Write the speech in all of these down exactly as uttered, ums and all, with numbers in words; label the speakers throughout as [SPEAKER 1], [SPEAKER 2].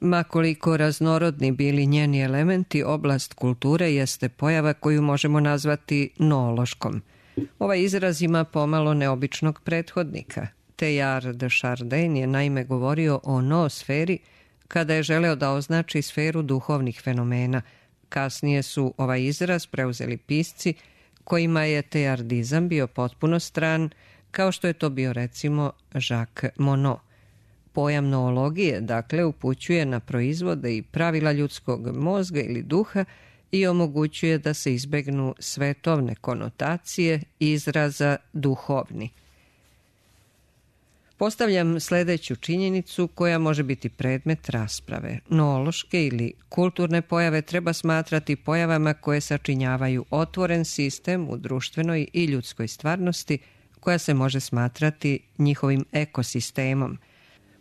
[SPEAKER 1] Ma koliko raznorodni bili njeni elementi, oblast kulture jeste pojava koju možemo nazvati noološkom. Ovaj izraz ima pomalo neobičnog prethodnika. Teilhard de Chardin je naime govorio o noosferi kada je želeo da označi sferu duhovnih fenomena. Kasnije su ovaj izraz preuzeli pisci kojima je teilhardizam bio potpuno stran, kao što je to bio recimo Jacques Monod. Pojam noologije, dakle, upućuje na proizvode i pravila ljudskog mozga ili duha i omogućuje da se izbegnu svetovne konotacije izraza duhovni. Postavljam sledeću činjenicu koja može biti predmet rasprave. Noološke ili kulturne pojave treba smatrati pojavama koje sačinjavaju otvoren sistem u društvenoj i ljudskoj stvarnosti koja se može smatrati njihovim ekosistemom.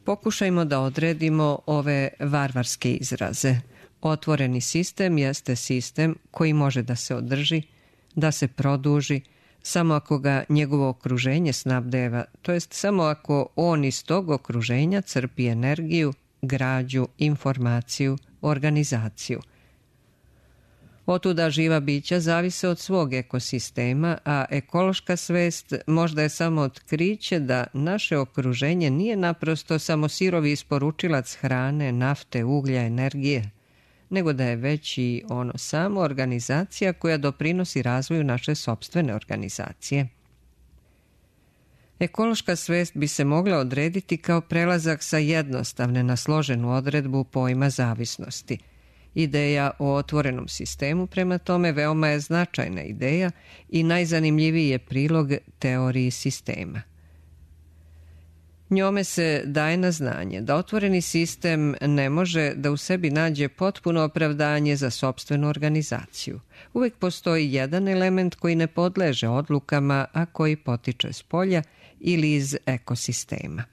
[SPEAKER 1] Pokušajmo da odredimo ove varvarske izraze. Otvoreni sistem jeste sistem koji može da se održi, da se produži, samo ako ga njegovo okruženje snabdeva, to jest samo ako on iz tog okruženja crpi energiju, građu, informaciju, organizaciju. Otuda živa bića zavise od svog ekosistema, a ekološka svest možda je samo otkriće da naše okruženje nije naprosto samo sirovi isporučilac hrane, nafte, uglja, energije, nego da je već i ono samo organizacija koja doprinosi razvoju naše sopstvene organizacije. Ekološka svest bi se mogla odrediti kao prelazak sa jednostavne na složenu odredbu pojma zavisnosti. Ideja o otvorenom sistemu, prema tome, veoma je značajna ideja i najzanimljiviji je prilog teoriji sistema. Njome se daje na znanje da otvoreni sistem ne može da u sebi nađe potpuno opravdanje za sopstvenu organizaciju. Uvek postoji jedan element koji ne podleže odlukama, a koji potiče s polja ili iz ekosistema.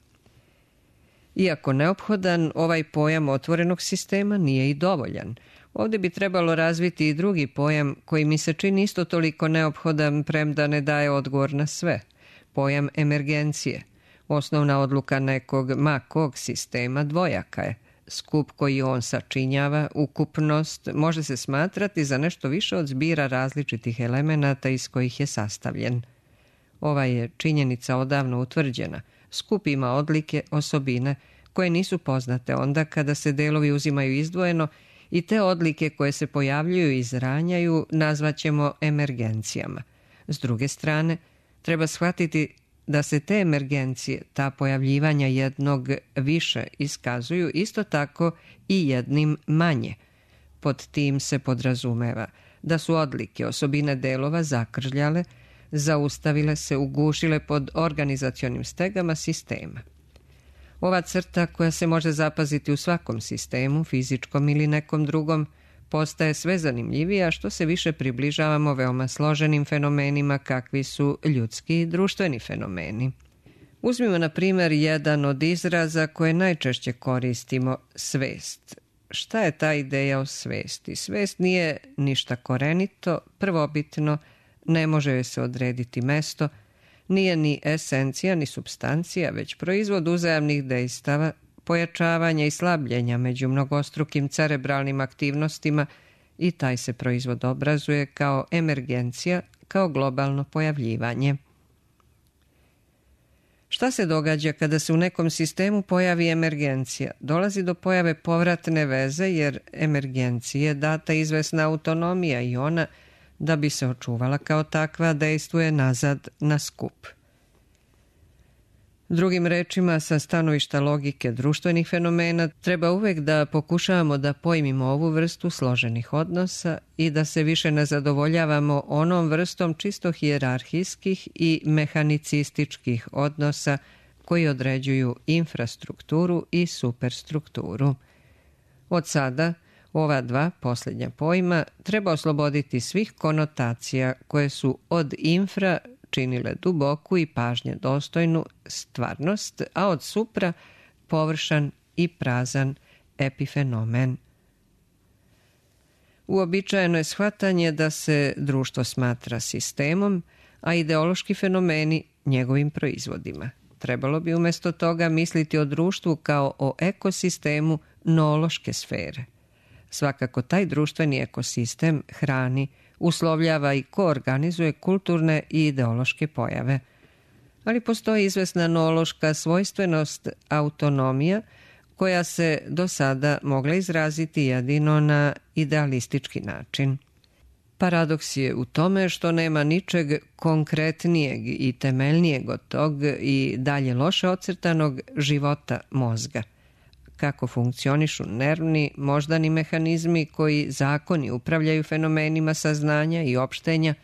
[SPEAKER 1] Iako neophodan, ovaj pojam otvorenog sistema nije i dovoljan. Ovdje bi trebalo razviti i drugi pojam koji mi se čini isto toliko neophodan, premda ne daje odgovor na sve. Pojam emergencije. Osnovna odluka nekog ma kog sistema dvojaka je. Skup koji on sačinjava, ukupnost, može se smatrati za nešto više od zbira različitih elemenata iz kojih je sastavljen. Ova je činjenica odavno utvrđena. Skup ima odlike, osobine, koje nisu poznate onda kada se delovi uzimaju izdvojeno i te odlike koje se pojavljuju i izranjaju nazvaćemo emergencijama. S druge strane, treba shvatiti da se te emergencije, ta pojavljivanja jednog više iskazuju isto tako i jednim manje. Pod tim se podrazumeva da su odlike, osobine delova zakržljale, zaustavile se, ugušile pod organizacionim stegama sistema. Ova crta koja se može zapaziti u svakom sistemu, fizičkom ili nekom drugom, postaje sve zanimljivija što se više približavamo veoma složenim fenomenima kakvi su ljudski i društveni fenomeni. Uzmimo na primjer jedan od izraza koje najčešće koristimo, svest. Šta je ta ideja o svesti? Svest nije ništa korenito, prvobitno, ne može joj se odrediti mesto, nije ni esencija ni supstancija, već proizvod uzajamnih dejstava, pojačavanja i slabljenja među mnogostrukim cerebralnim aktivnostima i taj se proizvod obrazuje kao emergencija, kao globalno pojavljivanje. Šta se događa kada se u nekom sistemu pojavi emergencija? Dolazi do pojave povratne veze jer emergenciji je data izvesna autonomija i ona, da bi se očuvala kao takva, dejstvuje nazad na skup. Drugim rečima, sa stanovišta logike društvenih fenomena, treba uvek da pokušavamo da pojmimo ovu vrstu složenih odnosa i da se više ne zadovoljavamo onom vrstom čisto hijerarhijskih i mehanicističkih odnosa koji određuju infrastrukturu i superstrukturu. Od sada, ova dva posljednja pojma treba osloboditi svih konotacija koje su od infra činile duboku i pažnje dostojnu stvarnost, a od supra površan i prazan epifenomen. Uobičajeno je shvatanje da se društvo smatra sistemom, a ideološki fenomeni njegovim proizvodima. Trebalo bi umjesto toga misliti o društvu kao o ekosistemu noološke sfere. Svakako taj društveni ekosistem hrani, uslovljava i koorganizuje kulturne i ideološke pojave. Ali postoji izvesna noološka svojstvenost, autonomija, koja se do sada mogla izraziti jedino na idealistički način. Paradoks je u tome što nema ničeg konkretnijeg i temeljnijeg od tog i dalje loše ocrtanog života mozga. Kako funkcionišu nervni, moždani mehanizmi koji zakoni upravljaju fenomenima saznanja i opštenja,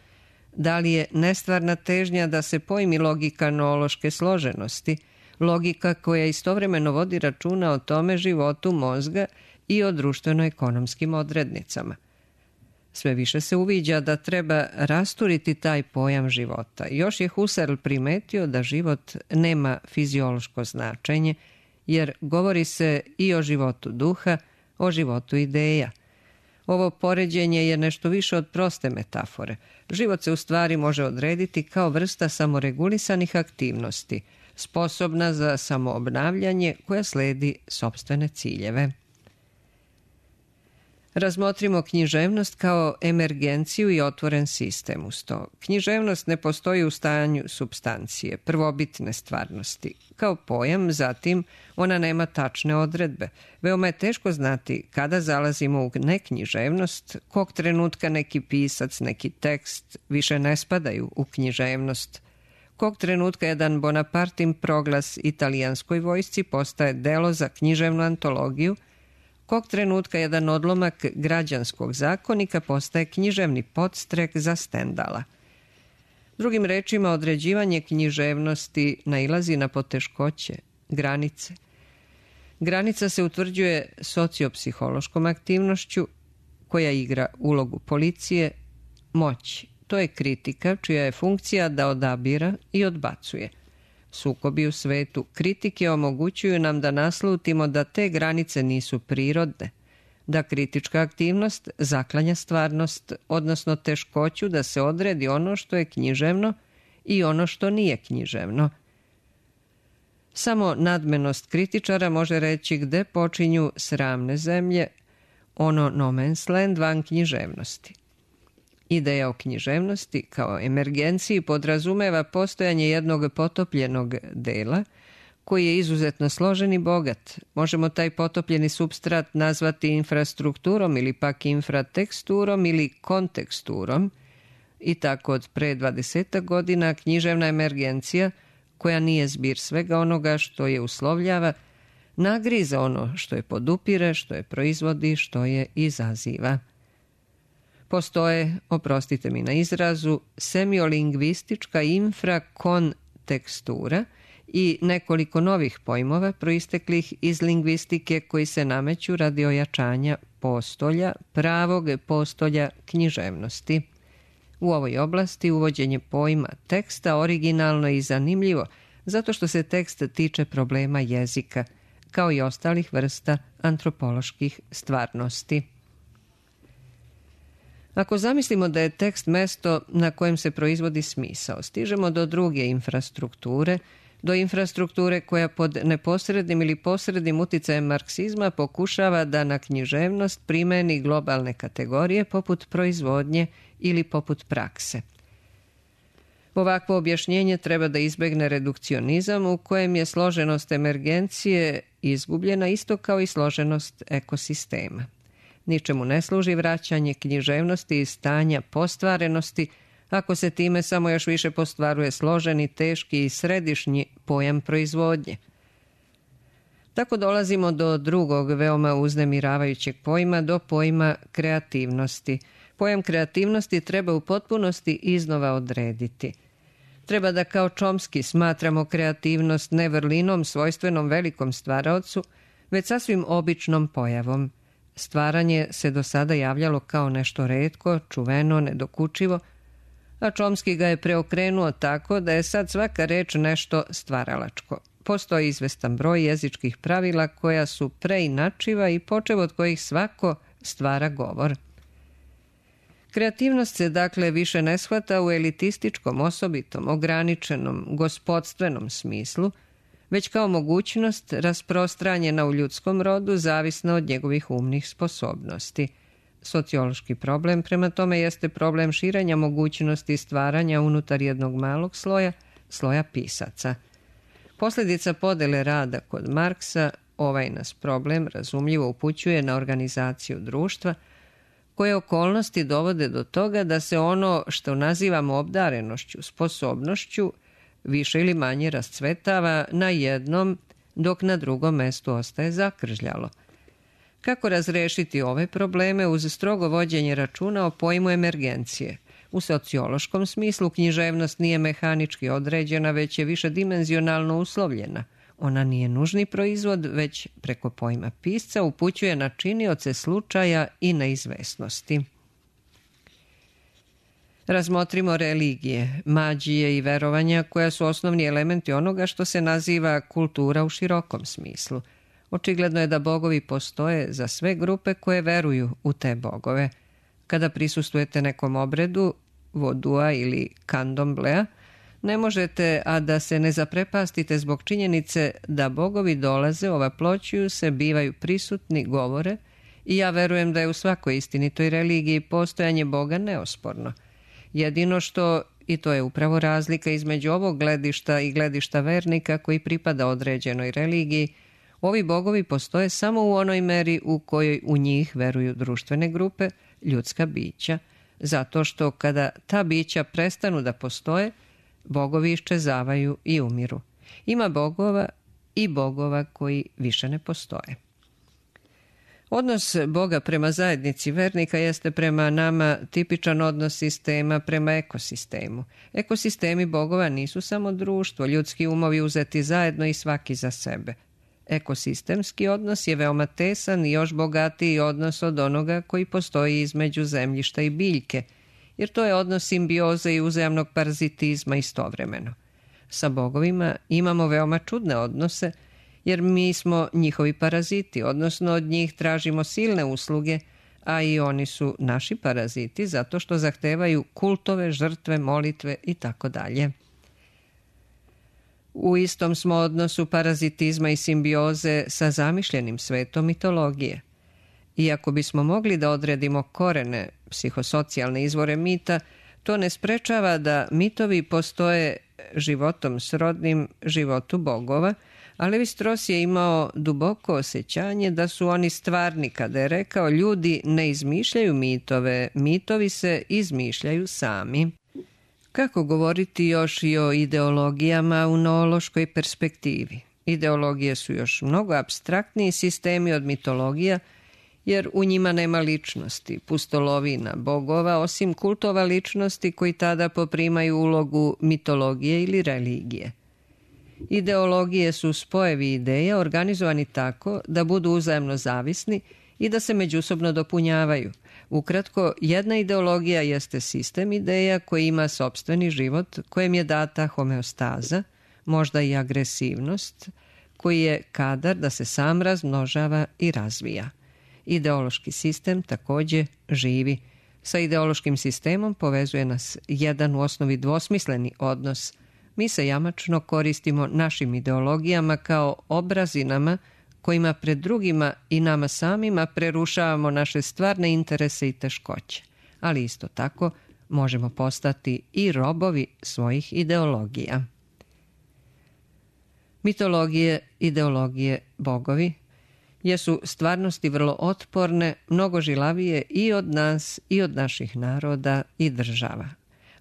[SPEAKER 1] da li je nestvarna težnja da se pojmi logika noološke složenosti, logika koja istovremeno vodi računa o tome životu mozga i o društveno-ekonomskim odrednicama. Sve više se uviđa da treba rasturiti taj pojam života. Još je Husserl primetio da život nema fiziološko značenje, jer govori se i o životu duha, o životu ideja. Ovo poređenje je nešto više od proste metafore. Život se u stvari može odrediti kao vrsta samoregulisanih aktivnosti, sposobna za samoobnavljanje koja sledi sopstvene ciljeve. Razmotrimo književnost kao emergenciju i otvoren sistem uz to. Književnost ne postoji u stanju supstancije, prvobitne stvarnosti. Kao pojam, zatim, ona nema tačne odredbe. Veoma je teško znati kada zalazimo u neknjiževnost, kog trenutka neki pisac, neki tekst više ne spadaju u književnost, kog trenutka jedan Bonapartin proglas italijanskoj vojsci postaje delo za književnu antologiju, kog trenutka jedan odlomak građanskog zakonika postaje književni podstrek za Stendala. Drugim rečima, određivanje književnosti nailazi na poteškoće, granice. Granica se utvrđuje sociopsihološkom aktivnošću koja igra ulogu policije, moći. To je kritika čija je funkcija da odabira i odbacuje. Sukobi u svetu kritike omogućuju nam da naslutimo da te granice nisu prirodne, da kritička aktivnost zaklanja stvarnost, odnosno teškoću da se odredi ono što je književno i ono što nije književno. Samo nadmenost kritičara može reći gde počinju sramne zemlje, ono no man's land van književnosti. Ideja o književnosti kao emergenciji podrazumeva postojanje jednog potopljenog dela koji je izuzetno složen i bogat. Možemo taj potopljeni supstrat nazvati infrastrukturom ili pak infrateksturom ili konteksturom i tako od pre dvadesetak godina književna emergencija, koja nije zbir svega onoga što je uslovljava, nagriza ono što je podupire, što je proizvodi, što je izaziva. Postoje, oprostite mi na izrazu, semiolingvistička infrakontekstura i nekoliko novih pojmova proisteklih iz lingvistike koji se nameću radi ojačanja postolja, pravog postolja književnosti. U ovoj oblasti uvođenje pojma teksta originalno i zanimljivo zato što se tekst tiče problema jezika, kao i ostalih vrsta antropoloških stvarnosti. Ako zamislimo da je tekst mesto na kojem se proizvodi smisao, stižemo do druge infrastrukture, do infrastrukture koja pod neposrednim ili posrednim uticajem marksizma pokušava da na književnost primeni globalne kategorije poput proizvodnje ili poput prakse. Ovakvo objašnjenje treba da izbegne redukcionizam u kojem je složenost emergencije izgubljena isto kao i složenost ekosistema. Ničemu ne služi vraćanje književnosti i stanja postvarenosti ako se time samo još više postvaruje složeni, teški i središnji pojam proizvodnje. Tako dolazimo do drugog veoma uznemiravajućeg pojma, do pojma kreativnosti. Pojam kreativnosti treba u potpunosti iznova odrediti. Treba da kao Chomsky smatramo kreativnost ne vrlinom svojstvenom velikom stvaraocu, već sasvim običnom pojavom. Stvaranje se do sada javljalo kao nešto retko, čuveno, nedokučivo, a Chomsky ga je preokrenuo tako da je sad svaka reč nešto stvaralačko. Postoji izvestan broj jezičkih pravila koja su preinačiva i počev od kojih svako stvara govor. Kreativnost se dakle više ne shvata u elitističkom, osobitom, ograničenom, gospodstvenom smislu, već kao mogućnost rasprostranjena u ljudskom rodu zavisna od njegovih umnih sposobnosti. Sociološki problem prema tome jeste problem širenja mogućnosti stvaranja unutar jednog malog sloja, sloja pisaca. Posljedica podele rada kod Marksa, ovaj nas problem razumljivo upućuje na organizaciju društva, koje okolnosti dovode do toga da se ono što nazivamo obdarenošću, sposobnošću, više ili manje rascvetava na jednom, dok na drugom mestu ostaje zakržljalo. Kako razrešiti ove probleme uz strogo vođenje računa o pojmu emergencije? U sociološkom smislu književnost nije mehanički određena, već je višedimenzionalno uslovljena. Ona nije nužni proizvod, već preko pojma pisca upućuje na činioce slučaja i neizvesnosti. Razmotrimo religije, magije i verovanja koja su osnovni elementi onoga što se naziva kultura u širokom smislu. Očigledno je da bogovi postoje za sve grupe koje veruju u te bogove. Kada prisustvujete nekom obredu, vodua ili kandomblea, ne možete, a da se ne zaprepastite zbog činjenice da bogovi dolaze, ovaploćuju se, bivaju prisutni, govore, i ja verujem da je u svakoj istinitoj religiji postojanje Boga neosporno. Jedino što, i to je upravo razlika između ovog gledišta i gledišta vernika koji pripada određenoj religiji, ovi bogovi postoje samo u onoj meri u kojoj u njih veruju društvene grupe, ljudska bića, zato što kada ta bića prestanu da postoje, bogovi iščezavaju i umiru. Ima bogova i bogova koji više ne postoje. Odnos Boga prema zajednici vernika jeste prema nama tipičan odnos sistema prema ekosistemu. Ekosistemi bogova nisu samo društvo, ljudski umovi uzeti zajedno i svaki za sebe. Ekosistemski odnos je veoma tesan i još bogatiji odnos od onoga koji postoji između zemljišta i biljke, jer to je odnos simbioze i uzajamnog parazitizma istovremeno. Sa bogovima imamo veoma čudne odnose, jer mi smo njihovi paraziti, odnosno od njih tražimo silne usluge, a i oni su naši paraziti zato što zahtevaju kultove, žrtve, molitve i tako dalje. U istom smo odnosu parazitizma i simbioze sa zamišljenim svetom mitologije. Iako bismo mogli da odredimo korene, psihosocijalne izvore mita, to ne sprečava da mitovi postoje životom srodnim životu bogova, a Levi-Strauss je imao duboko osjećanje da su oni stvarni kada je rekao: ljudi ne izmišljaju mitove, mitovi se izmišljaju sami. Kako govoriti još i o ideologijama u noološkoj perspektivi? Ideologije su još mnogo apstraktniji sistemi od mitologija, jer u njima nema ličnosti, pustolovina, bogova, osim kultova ličnosti koji tada poprimaju ulogu mitologije ili religije. Ideologije su spojevi ideja organizovani tako da budu uzajamno zavisni i da se međusobno dopunjavaju. Ukratko, jedna ideologija jeste sistem ideja koji ima sopstveni život, kojem je data homeostaza, možda i agresivnost, koji je kadar da se sam razmnožava i razvija. Ideološki sistem također živi. Sa ideološkim sistemom povezuje nas jedan u osnovi dvosmisleni odnos. Mi se jamačno koristimo našim ideologijama kao obrazinama kojima pred drugima i nama samima prerušavamo naše stvarne interese i teškoće. Ali isto tako možemo postati i robovi svojih ideologija. Mitologije, ideologije, bogovi jesu stvarnosti vrlo otporne, mnogo žilavije i od nas i od naših naroda i država.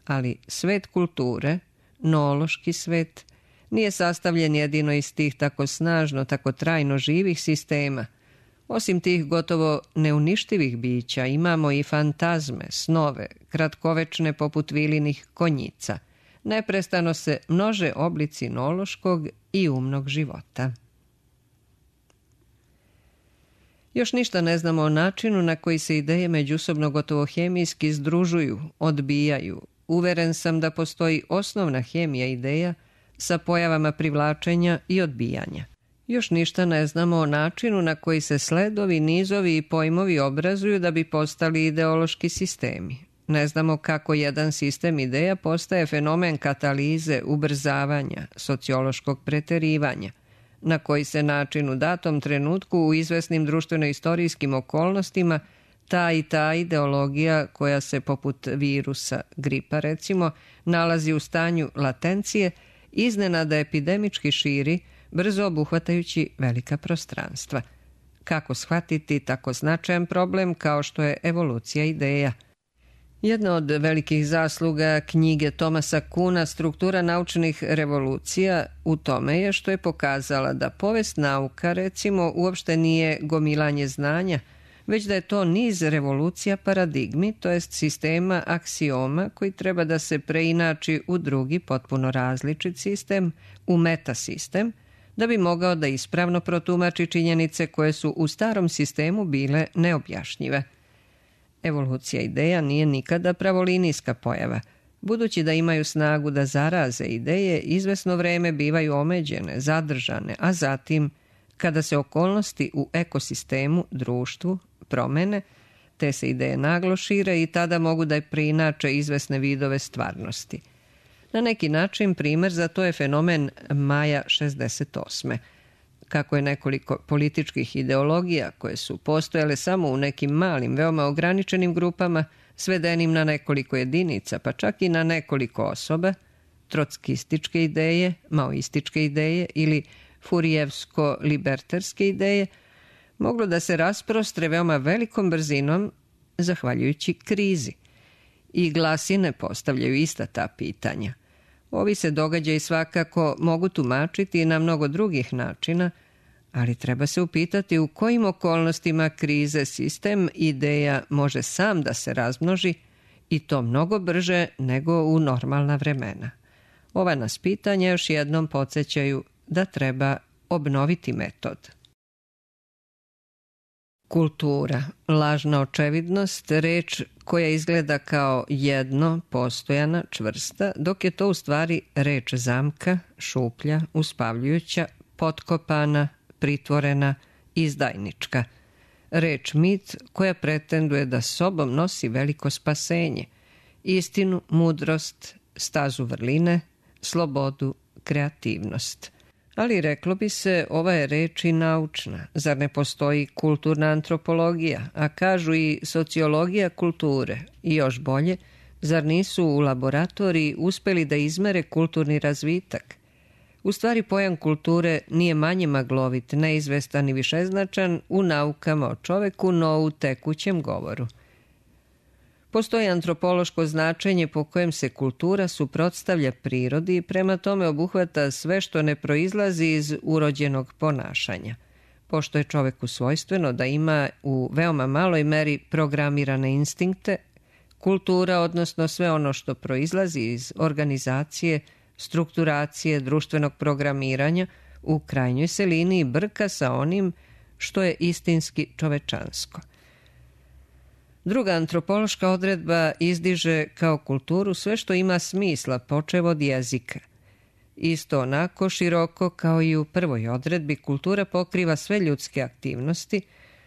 [SPEAKER 1] Ali svet kulture, noološki svet, nije sastavljen jedino iz tih tako snažno, tako trajno živih sistema. Osim tih gotovo neuništivih bića imamo i fantazme, snove, kratkovečne poput vilinih konjica. Neprestano se množe oblici noološkog i umnog života. Još ništa ne znamo o načinu na koji se ideje međusobno gotovo hemijski združuju, odbijaju. Uveren sam da postoji osnovna hemija ideja sa pojavama privlačenja i odbijanja. Još ništa ne znamo o načinu na koji se sledovi, nizovi i pojmovi obrazuju da bi postali ideološki sistemi. Ne znamo kako jedan sistem ideja postaje fenomen katalize, ubrzavanja, sociološkog preterivanja, na koji se način u datom trenutku u izvesnim društveno-istorijskim okolnostima ta i ta ideologija koja se poput virusa, gripa recimo, nalazi u stanju latencije, iznenada epidemički širi, brzo obuhvatajući velika prostranstva. Kako shvatiti tako značajan problem kao što je evolucija ideja? Jedna od velikih zasluga knjige Thomasa Kuhna Struktura naučnih revolucija u tome je što je pokazala da povest nauka, recimo, uopšte nije gomilanje znanja, već da je to niz revolucija paradigmi, to jest sistema aksioma koji treba da se preinači u drugi, potpuno različit sistem, u metasistem, da bi mogao da ispravno protumači činjenice koje su u starom sistemu bile neobjašnjive. Evolucija ideja nije nikada pravolinijska pojava. Budući da imaju snagu da zaraze ideje, izvesno vreme bivaju omeđene, zadržane, a zatim, kada se okolnosti u ekosistemu, društvu, promene, te se ideje naglo šire i tada mogu da preinače izvesne vidove stvarnosti. Na neki način primer za to je fenomen maja šezdeset osme. Kako je nekoliko političkih ideologija koje su postojale samo u nekim malim, veoma ograničenim grupama, svedenim na nekoliko jedinica, pa čak i na nekoliko osoba, trotskističke ideje, maoističke ideje ili furijevsko-libertarske ideje, moglo da se rasprostre veoma velikom brzinom zahvaljujući krizi. I glasine postavljaju ista ta pitanja. Ovi se događaji svakako mogu tumačiti na mnogo drugih načina, ali treba se upitati u kojim okolnostima krize sistem ideja može sam da se razmnoži i to mnogo brže nego u normalna vremena. Ova nas pitanja još jednom podsjećaju da treba obnoviti metod. Kultura, lažna očevidnost, reč koja izgleda kao jedno, postojana, čvrsta, dok je to u stvari reč zamka, šuplja, uspavljujuća, potkopana, pritvorena, izdajnička. Reč mit koja pretenduje da sobom nosi veliko spasenje, istinu, mudrost, stazu vrline, slobodu, kreativnost. Ali reklo bi se, ova je reč i naučna. Zar ne postoji kulturna antropologija, a kažu i sociologija kulture? I još bolje, zar nisu u laboratoriji uspeli da izmere kulturni razvitak? U stvari pojam kulture nije manje maglovit, neizvestan i višeznačan u naukama o čoveku, no u tekućem govoru. Postoji antropološko značenje po kojem se kultura suprotstavlja prirodi i prema tome obuhvata sve što ne proizlazi iz urođenog ponašanja. Pošto je čoveku svojstveno da ima u veoma maloj meri programirane instinkte, kultura, odnosno sve ono što proizlazi iz organizacije, strukturacije, društvenog programiranja, u krajnjoj se liniji brka sa onim što je istinski čovečansko. Druga antropološka odredba izdiže kao kulturu sve što ima smisla, počev od jezika. Isto onako široko kao i u prvoj odredbi, kultura pokriva sve ljudske aktivnosti,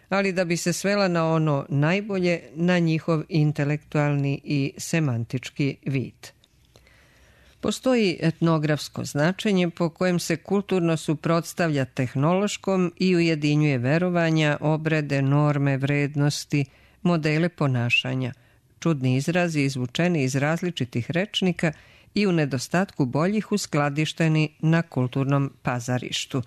[SPEAKER 1] ali da bi se svela na ono najbolje, na njihov intelektualni i semantički vid. Postoji etnografsko značenje po kojem se kulturno suprotstavlja tehnološkom i ujedinjuje verovanja, obrede, norme, vrednosti, modele ponašanja, čudni izrazi izvučeni iz različitih rečnika i u nedostatku boljih uskladišteni na kulturnom pazarištu.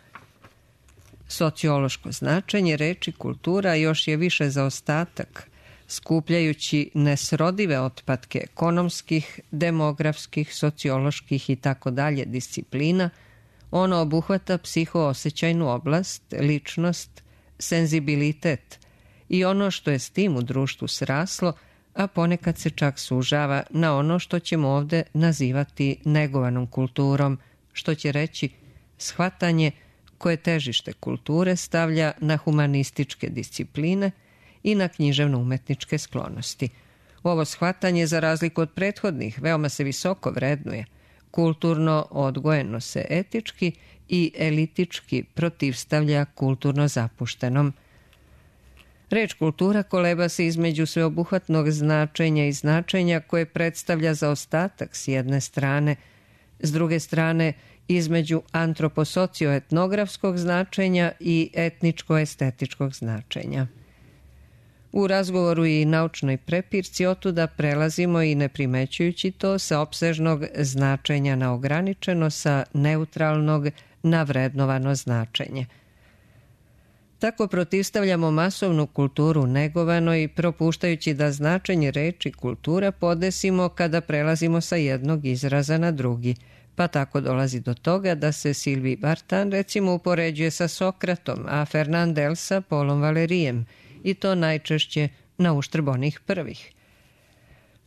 [SPEAKER 1] Sociološko značenje reči kultura još je više zaostatak, skupljajući nesrodive otpadke ekonomskih, demografskih, socioloških i tako dalje disciplina, ono obuhvata psihoosećajnu oblast, ličnost, senzibilitet i ono što je s tim u društvu sraslo, a ponekad se čak sužava na ono što ćemo ovde nazivati negovanom kulturom, što će reći shvatanje koje težište kulture stavlja na humanističke discipline i na književno-umetničke sklonosti. Ovo shvatanje, za razliku od prethodnih, veoma se visoko vrednuje, kulturno odgojeno se etički i elitički protivstavlja kulturno zapuštenom. Reč kultura koleba se između sveobuhvatnog značenja i značenja koje predstavlja zaostatak s jedne strane, s druge strane između antroposocioetnografskog značenja i etničko-estetičkog značenja. U razgovoru i naučnoj prepirci otuda prelazimo i ne primećujući to sa opsežnog značenja na ograničeno, sa neutralnog na vrednovano značenje. Tako protivstavljamo masovnu kulturu negovanoj, propuštajući da značenje reči kultura podesimo kada prelazimo sa jednog izraza na drugi, pa tako dolazi do toga da se Sylvie Vartan recimo upoređuje sa Sokratom, a Fernandel sa Paulom Valerijem, i to najčešće na uštrb onih prvih.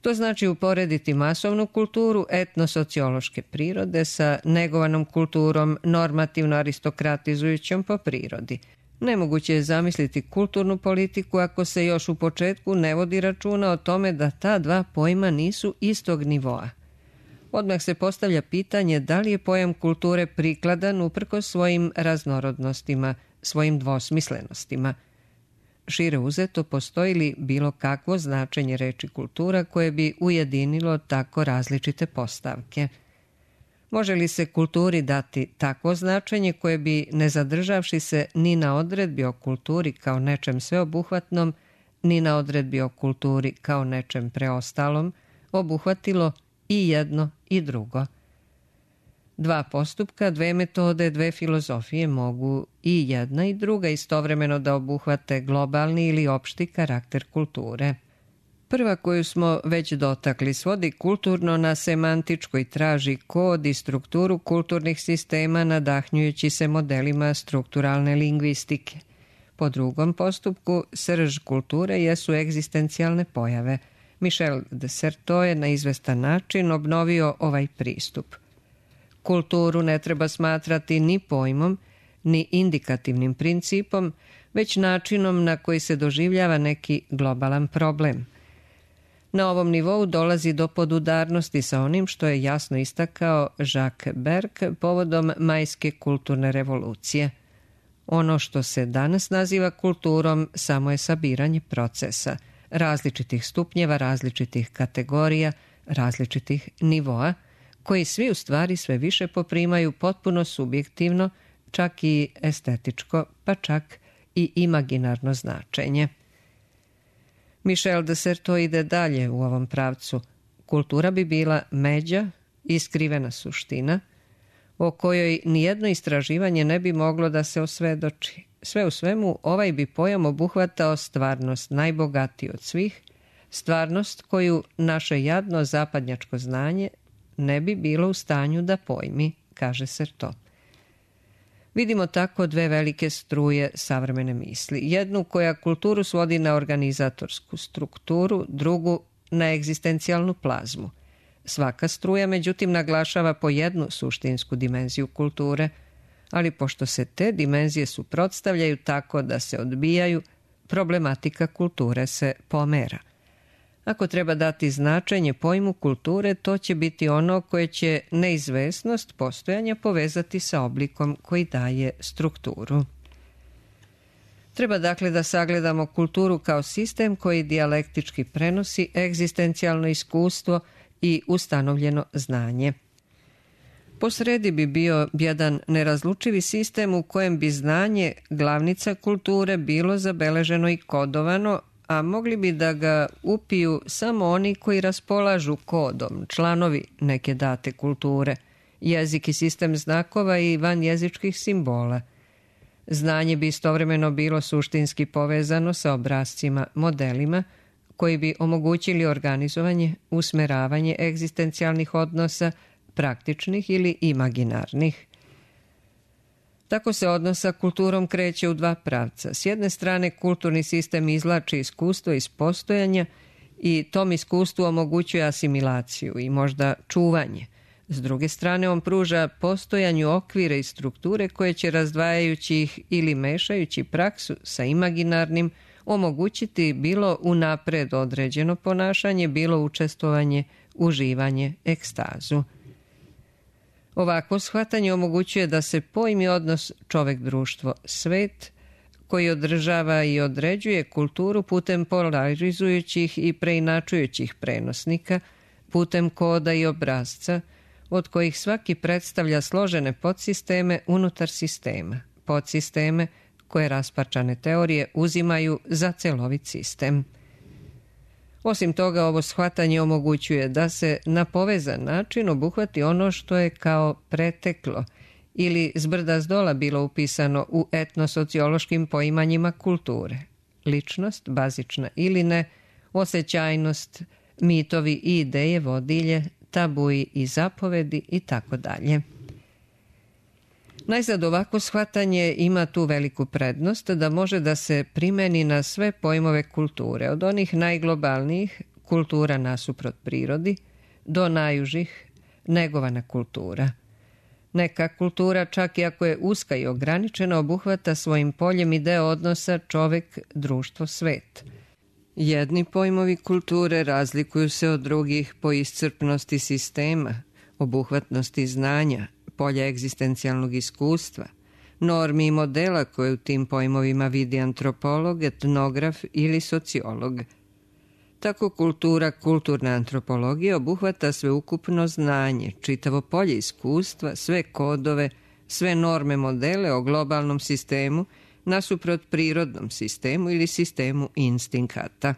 [SPEAKER 1] To znači uporediti masovnu kulturu etnosociološke prirode sa negovanom kulturom normativno aristokratizujućom po prirodi. Nemoguće je zamisliti kulturnu politiku ako se još u početku ne vodi računa o tome da ta dva pojma nisu istog nivoa. Odmah se postavlja pitanje da li je pojam kulture prikladan uprkos svojim raznorodnostima, svojim dvosmislenostima. Šire uzeto, postoji li bilo kakvo značenje reči kultura koje bi ujedinilo tako različite postavke? Može li se kulturi dati takvo značenje koje bi, ne zadržavši se ni na odredbi o kulturi kao nečem sveobuhvatnom, ni na odredbi o kulturi kao nečem preostalom, obuhvatilo i jedno i drugo? Dva postupka, dve metode, dve filozofije mogu i jedna i druga istovremeno da obuhvate globalni ili opšti karakter kulture. Prva koju smo već dotakli svodi kulturno na semantičko i traži kod i strukturu kulturnih sistema nadahnjujući se modelima strukturalne lingvistike. Po drugom postupku, srž kulture jesu egzistencijalne pojave. Michel de Certeau je na izvestan način obnovio ovaj pristup. Kulturu ne treba smatrati ni pojmom, ni indikativnim principom, već načinom na koji se doživljava neki globalan problem. Na ovom nivou dolazi do podudarnosti sa onim što je jasno istakao Jacques Berck povodom majske kulturne revolucije. Ono što se danas naziva kulturom samo je sabiranje procesa, različitih stupnjeva, različitih kategorija, različitih nivoa, koji svi u stvari sve više poprimaju potpuno subjektivno, čak i estetičko, pa čak i imaginarno značenje. Michel de Certeau ide dalje u ovom pravcu. Kultura bi bila međa i skrivena suština, o kojoj nijedno istraživanje ne bi moglo da se osvedoči. Sve u svemu, ovaj bi pojam obuhvatao stvarnost najbogatiji od svih, stvarnost koju naše jadno zapadnjačko znanje ne bi bilo u stanju da pojmi, kaže Certeau. Vidimo tako dve velike struje savremene misli. Jednu koja kulturu svodi na organizatorsku strukturu, drugu na egzistencijalnu plazmu. Svaka struja, međutim, naglašava po jednu suštinsku dimenziju kulture, ali pošto se te dimenzije suprotstavljaju tako da se odbijaju, problematika kulture se pomera. Ako treba dati značenje pojmu kulture, to će biti ono koje će neizvesnost postojanja povezati sa oblikom koji daje strukturu. Treba dakle da sagledamo kulturu kao sistem koji dijalektički prenosi egzistencijalno iskustvo i ustanovljeno znanje. Po sredi bi bio jedan nerazlučivi sistem u kojem bi znanje, glavnica kulture, bilo zabeleženo i kodovano, a mogli bi da ga upiju samo oni koji raspolažu kodom, članovi neke date kulture, jezik i sistem znakova i vanjezičkih simbola. Znanje bi istovremeno bilo suštinski povezano sa obrascima, modelima, koji bi omogućili organizovanje, usmeravanje egzistencijalnih odnosa, praktičnih ili imaginarnih. Tako se odnos sa kulturom kreće u dva pravca. S jedne strane, kulturni sistem izvlači iskustvo iz postojanja i tom iskustvu omogućuje asimilaciju i možda čuvanje. S druge strane, on pruža postojanju okvire i strukture koje će, razdvajajući ih ili mešajući praksu sa imaginarnim, omogućiti bilo unapred određeno ponašanje, bilo učestvovanje, uživanje, ekstazu. Ovakvo shvatanje omogućuje da se pojmi odnos čovek-društvo-svet, koji održava i određuje kulturu putem polarizujućih i preinačujućih prenosnika, putem koda i obrasca, od kojih svaki predstavlja složene podsisteme unutar sistema, podsisteme koje rasparčane teorije uzimaju za celovit sistem. Osim toga, ovo shvatanje omogućuje da se na povezan način obuhvati ono što je kao preteklo ili zbrda zdola bilo upisano u etnosociološkim poimanjima kulture. Ličnost, bazična ili ne, osjećajnost, mitovi i ideje vodilje, tabuji i zapovedi i tako dalje. Najzad ovako shvatanje ima tu veliku prednost da može da se primeni na sve pojmove kulture, od onih najglobalnijih, kultura nasuprot prirodi, do najužih, negovana kultura. Neka kultura, čak i ako je uska i ograničena, obuhvata svojim poljem i deo odnosa čovek, društvo, svet. Jedni pojmovi kulture razlikuju se od drugih po iscrpnosti sistema, obuhvatnosti znanja, polja egzistencijalnog iskustva, normi i modela koje u tim pojmovima vidi antropolog, etnograf ili sociolog. Tako kultura, kulturna antropologija obuhvata sveukupno znanje, čitavo polje iskustva, sve kodove, sve norme modele o globalnom sistemu nasuprot prirodnom sistemu ili sistemu instinkata.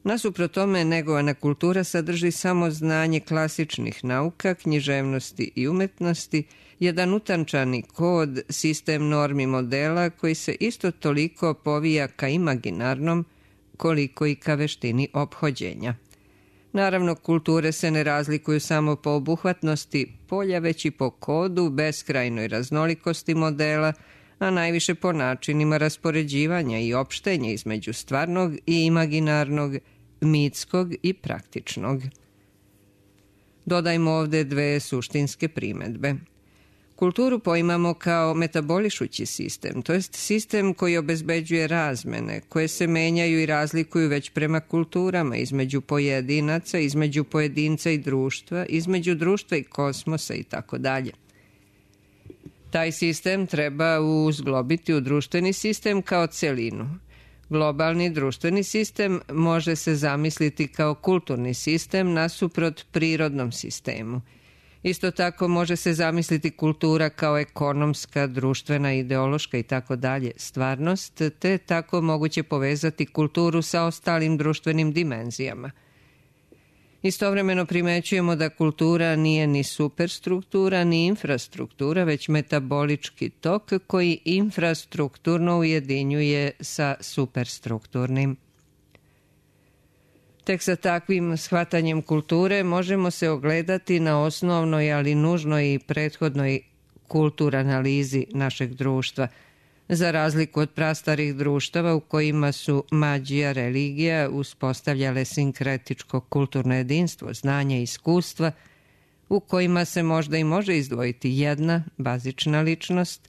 [SPEAKER 1] Nasuprot tome, negovana kultura sadrži samo znanje klasičnih nauka, književnosti i umetnosti, jedan utančani kod, sistem normi modela koji se isto toliko povija ka imaginarnom, koliko i ka veštini ophođenja. Naravno, kulture se ne razlikuju samo po obuhvatnosti polja, već i po kodu, beskrajnoj raznolikosti modela, a najviše po načinima raspoređivanja i opštenja između stvarnog i imaginarnog, mitskog i praktičnog. Dodajmo ovde dve suštinske primedbe. Kulturu poimamo kao metabolišući sistem, to jest sistem koji obezbeđuje razmene, koje se menjaju i razlikuju već prema kulturama, između pojedinaca, između pojedinca i društva, između društva i kosmosa i tako dalje. Taj sistem treba uzglobiti u društveni sistem kao celinu. Globalni društveni sistem može se zamisliti kao kulturni sistem nasuprot prirodnom sistemu. Isto tako može se zamisliti kultura kao ekonomska, društvena, ideološka i tako dalje stvarnost, te tako moguće povezati kulturu sa ostalim društvenim dimenzijama. Istovremeno primećujemo da kultura nije ni superstruktura, ni infrastruktura, već metabolički tok koji infrastrukturno ujedinjuje sa superstrukturnim. Tek sa takvim shvatanjem kulture možemo se ogledati na osnovnoj, ali nužnoj i prethodnoj kulturanalizi našeg društva, za razliku od prastarih društava u kojima su mađija, religija uspostavljale sinkretičko kulturno jedinstvo, znanje i iskustva, u kojima se možda i može izdvojiti jedna bazična ličnost,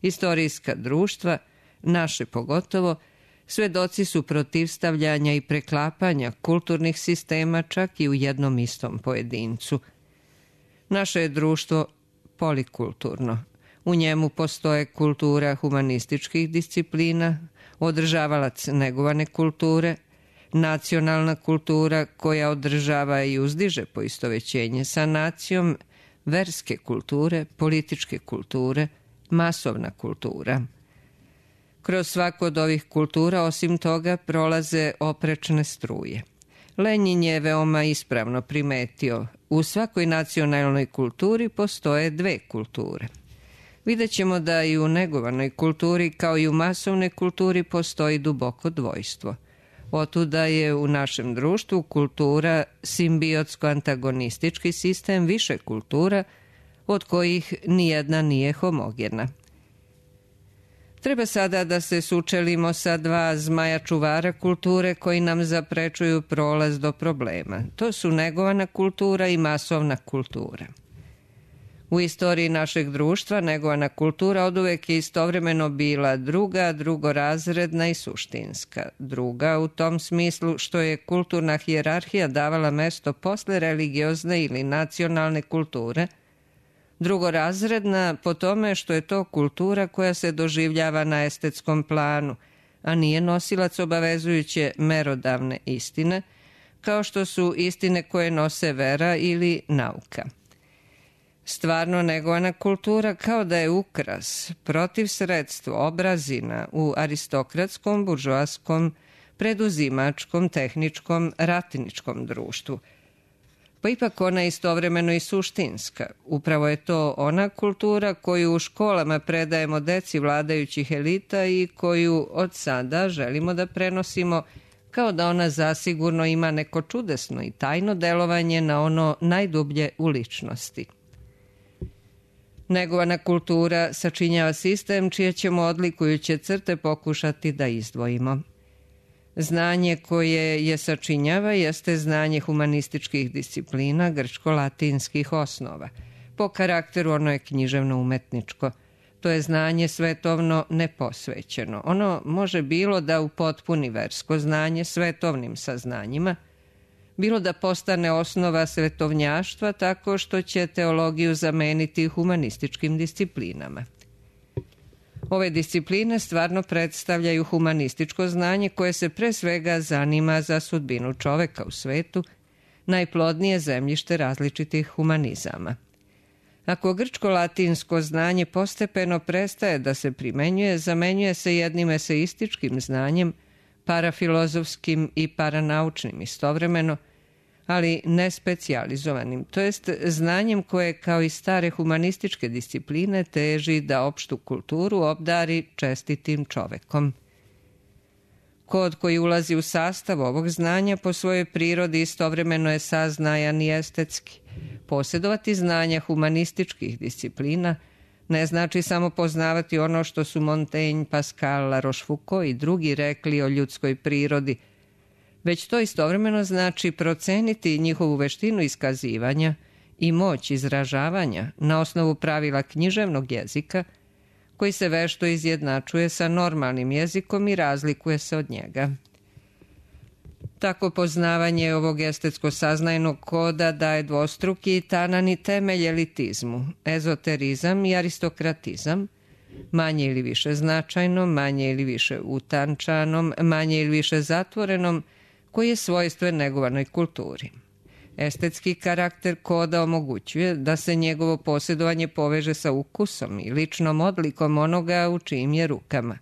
[SPEAKER 1] istorijska društva, naše pogotovo, svedoci su protivstavljanja i preklapanja kulturnih sistema čak i u jednom istom pojedincu. Naše je društvo polikulturno. U njemu postoje kultura humanističkih disciplina, održavalac negovane kulture, nacionalna kultura koja održava i uzdiže poistovećenje sa nacijom, verske kulture, političke kulture, masovna kultura. Kroz svaku od ovih kultura, osim toga, prolaze oprečne struje. Lenjin je veoma ispravno primetio, u svakoj nacionalnoj kulturi postoje dve kulture. Vidjet ćemo da i u negovanoj kulturi, kao i u masovnoj kulturi, postoji duboko dvojstvo. Otuda je u našem društvu kultura simbiotsko-antagonistički sistem više kultura, od kojih nijedna nije homogena. Treba sada da se sučelimo sa dva zmaja čuvara kulture koji nam zaprečuju prolaz do problema. To su negovana kultura i masovna kultura. U istoriji našeg društva negovana kultura oduvek je istovremeno bila druga, drugorazredna i suštinska. Druga u tom smislu što je kulturna hijerarhija davala mesto posle religiozne ili nacionalne kulture, Drugorazredna po tome što je to kultura koja se doživljava na estetskom planu, a nije nosilac obavezujuće merodavne istine, kao što su istine koje nose vera ili nauka. Stvarno negovana kultura kao da je ukras, protiv sredstvo, obrazina u aristokratskom, buržoaskom, preduzimačkom, tehničkom, ratničkom društvu. Pa ipak ona je istovremeno i suštinska. Upravo je to ona kultura koju u školama predajemo deci vladajućih elita i koju od sada želimo da prenosimo kao da ona zasigurno ima neko čudesno i tajno delovanje na ono najdublje u ličnosti. Negovana kultura sačinjava sistem čije ćemo odlikujuće crte pokušati da izdvojimo. Znanje koje je sačinjava jeste znanje humanističkih disciplina grčko-latinskih osnova. Po karakteru ono je književno-umetničko. To je znanje svetovno neposvećeno. Ono može bilo da upotpuni versko znanje svetovnim saznanjima, bilo da postane osnova svetovnjaštva tako što će teologiju zameniti humanističkim disciplinama. Ove discipline stvarno predstavljaju humanističko znanje koje se pre svega zanima za sudbinu čoveka u svetu, najplodnije zemljište različitih humanizama. Ako grčko-latinsko znanje postepeno prestaje da se primenjuje, zamenjuje se jednim eseističkim znanjem, parafilozofskim i paranaučnim istovremeno, ali ne specijalizovanim, to jest znanjem koje kao i stare humanističke discipline teži da opštu kulturu obdari čestitim čovekom. Kod koji ulazi u sastav ovog znanja po svojoj prirodi istovremeno je saznajan i estetski. Posjedovati znanja humanističkih disciplina ne znači samo poznavati ono što su Montaigne, Pascal, La Rochefoucauld i drugi rekli o ljudskoj prirodi, već to istovremeno znači proceniti njihovu veštinu iskazivanja i moć izražavanja na osnovu pravila književnog jezika, koji se vešto izjednačuje sa normalnim jezikom i razlikuje se od njega. Tako poznavanje ovog estetsko-saznajnog koda daje dvostruki i tanani temelj elitizmu, ezoterizam i aristokratizam, manje ili više značajnom, manje ili više utančanom, manje ili više zatvorenom, koji je svojstven negovanoj kulturi. Estetski karakter koda omogućuje da se njegovo posjedovanje poveže sa ukusom i ličnom odlikom onoga u čijim je rukama.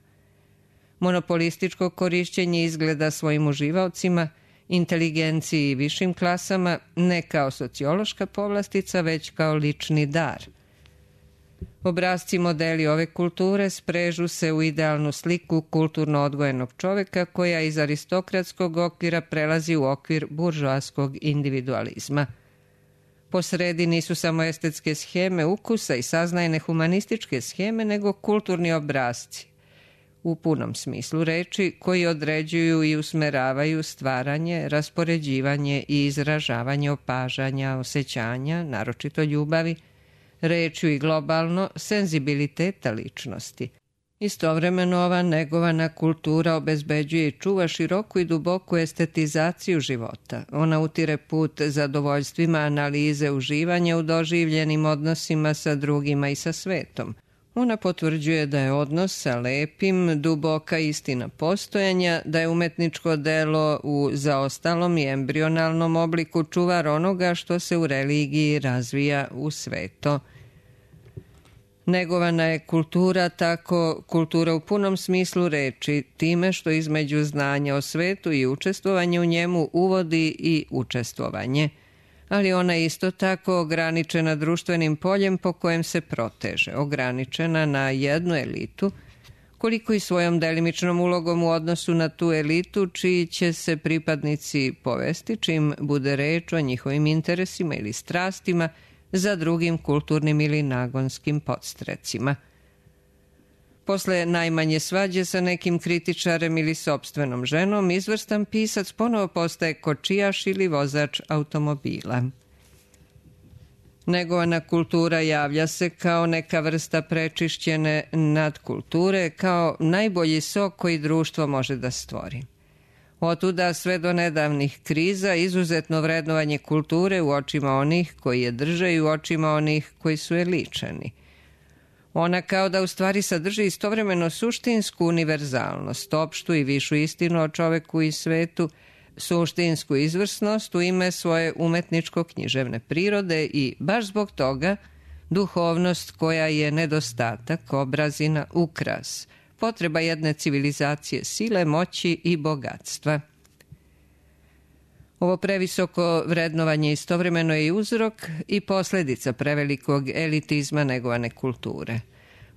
[SPEAKER 1] Monopolističko korišćenje izgleda svojim uživaocima, inteligenciji i višim klasama ne kao sociološka povlastica, već kao lični dar. Obrazci modeli ove kulture sprežu se u idealnu sliku kulturno odgojenog čoveka koja iz aristokratskog okvira prelazi u okvir buržoaskog individualizma. Po sredi nisu samo estetske sheme ukusa i saznajne humanističke sheme, nego kulturni obrazci, u punom smislu reči, koji određuju i usmeravaju stvaranje, raspoređivanje i izražavanje opažanja, osjećanja, naročito ljubavi, rečju i globalno senzibiliteta ličnosti. Istovremeno ova negovana kultura obezbeđuje i čuva široku i duboku estetizaciju života. Ona utire put zadovoljstvima analize uživanja u doživljenim odnosima sa drugima i sa svetom. Ona potvrđuje da je odnos sa lepim duboka istina postojanja, da je umetničko delo u zaostalom i embrionalnom obliku čuvar onoga što se u religiji razvija u sveto. Negovana je kultura tako kultura u punom smislu reči, time što između znanja o svetu i učestvovanje u njemu uvodi i učestvovanje. Ali ona je isto tako ograničena društvenim poljem po kojem se proteže, ograničena na jednu elitu, koliko i svojom delimičnom ulogom u odnosu na tu elitu čiji će se pripadnici povesti čim bude reč o njihovim interesima ili strastima za drugim kulturnim ili nagonskim podstrecima. Posle najmanje svađe sa nekim kritičarem ili sopstvenom ženom, izvrstan pisac ponovo postaje kočijaš ili vozač automobila. Negovana kultura javlja se kao neka vrsta prečišćene nadkulture, kao najbolji sok koji društvo može da stvori. Otuda sve do nedavnih kriza izuzetno vrednovanje kulture u očima onih koji je drže i u očima onih koji su je ličani. Ona kao da u stvari sadrži istovremeno suštinsku univerzalnost, opštu i višu istinu o čoveku i svetu, suštinsku izvrsnost u ime svoje umetničko-književne prirode i baš zbog toga duhovnost koja je nedostatak, obrazina, ukras, potreba jedne civilizacije sile, moći i bogatstva. Ovo previsoko vrednovanje istovremeno je i uzrok i posljedica prevelikog elitizma negovane kulture.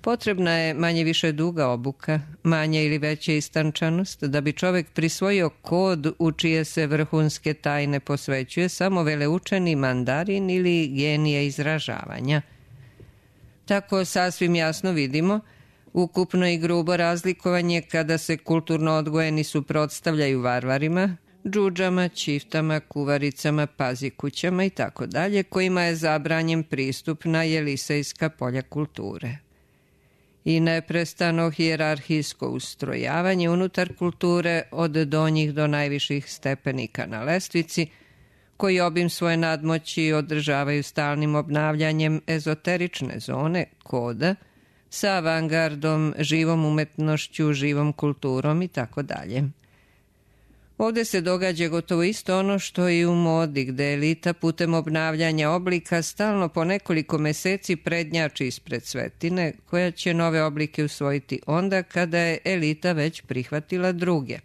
[SPEAKER 1] Potrebna je manje više duga obuka, manje ili veća istančanost, da bi čovek prisvojio kod u čije se vrhunske tajne posvećuje samo veleučeni mandarin ili genije izražavanja. Tako sasvim jasno vidimo ukupno i grubo razlikovanje kada se kulturno odgojeni suprotstavljaju varvarima, džudžama, ćiftama, kuvaricama, pazikućama i tako dalje, kojima je zabranjen pristup na jelisejska polja kulture. I neprestano hijerarhijsko ustrojavanje unutar kulture od donjih do najviših stepenika na lestvici, koji obim svoje nadmoći održavaju stalnim obnavljanjem ezoterične zone, koda, sa avangardom, živom umetnošću, živom kulturom i tako dalje. Ovde se događa gotovo isto ono što i u modi, gde elita putem obnavljanja oblika stalno po nekoliko meseci prednjači ispred svetine, koja će nove oblike usvojiti onda kada je elita već prihvatila druge.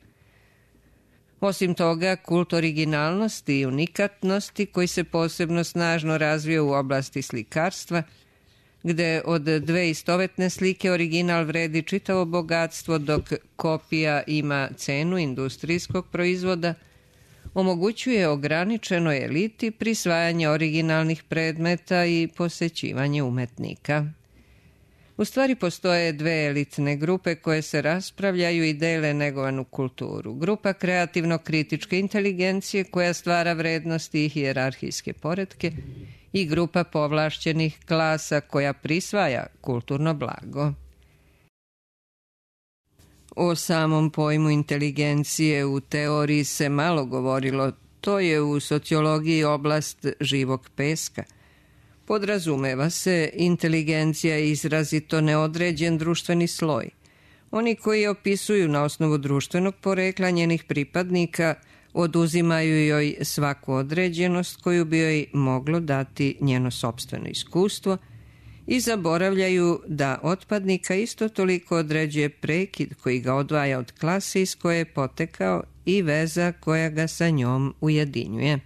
[SPEAKER 1] Osim toga, kult originalnosti i unikatnosti, koji se posebno snažno razvio u oblasti slikarstva, gde od dve istovetne slike original vredi čitavo bogatstvo dok kopija ima cenu industrijskog proizvoda, omogućuje ograničenoj eliti prisvajanje originalnih predmeta i posećivanje umetnika. U stvari postoje dve elitne grupe koje se raspravljaju i dele negovanu kulturu. Grupa kreativno-kritičke inteligencije koja stvara vrednosti i hijerarhijske poretke i grupa povlašćenih klasa koja prisvaja kulturno blago. O samom pojmu inteligencije u teoriji se malo govorilo, to je u sociologiji oblast živog peska. Podrazumeva se inteligencija je izrazito neodređen društveni sloj. Oni koji opisuju na osnovu društvenog porekla njenih pripadnika oduzimaju joj svaku određenost koju bi joj moglo dati njeno sopstveno iskustvo i zaboravljaju da otpadnika isto toliko određuje prekid koji ga odvaja od klase iz koje je potekao i veza koja ga sa njom ujedinjuje.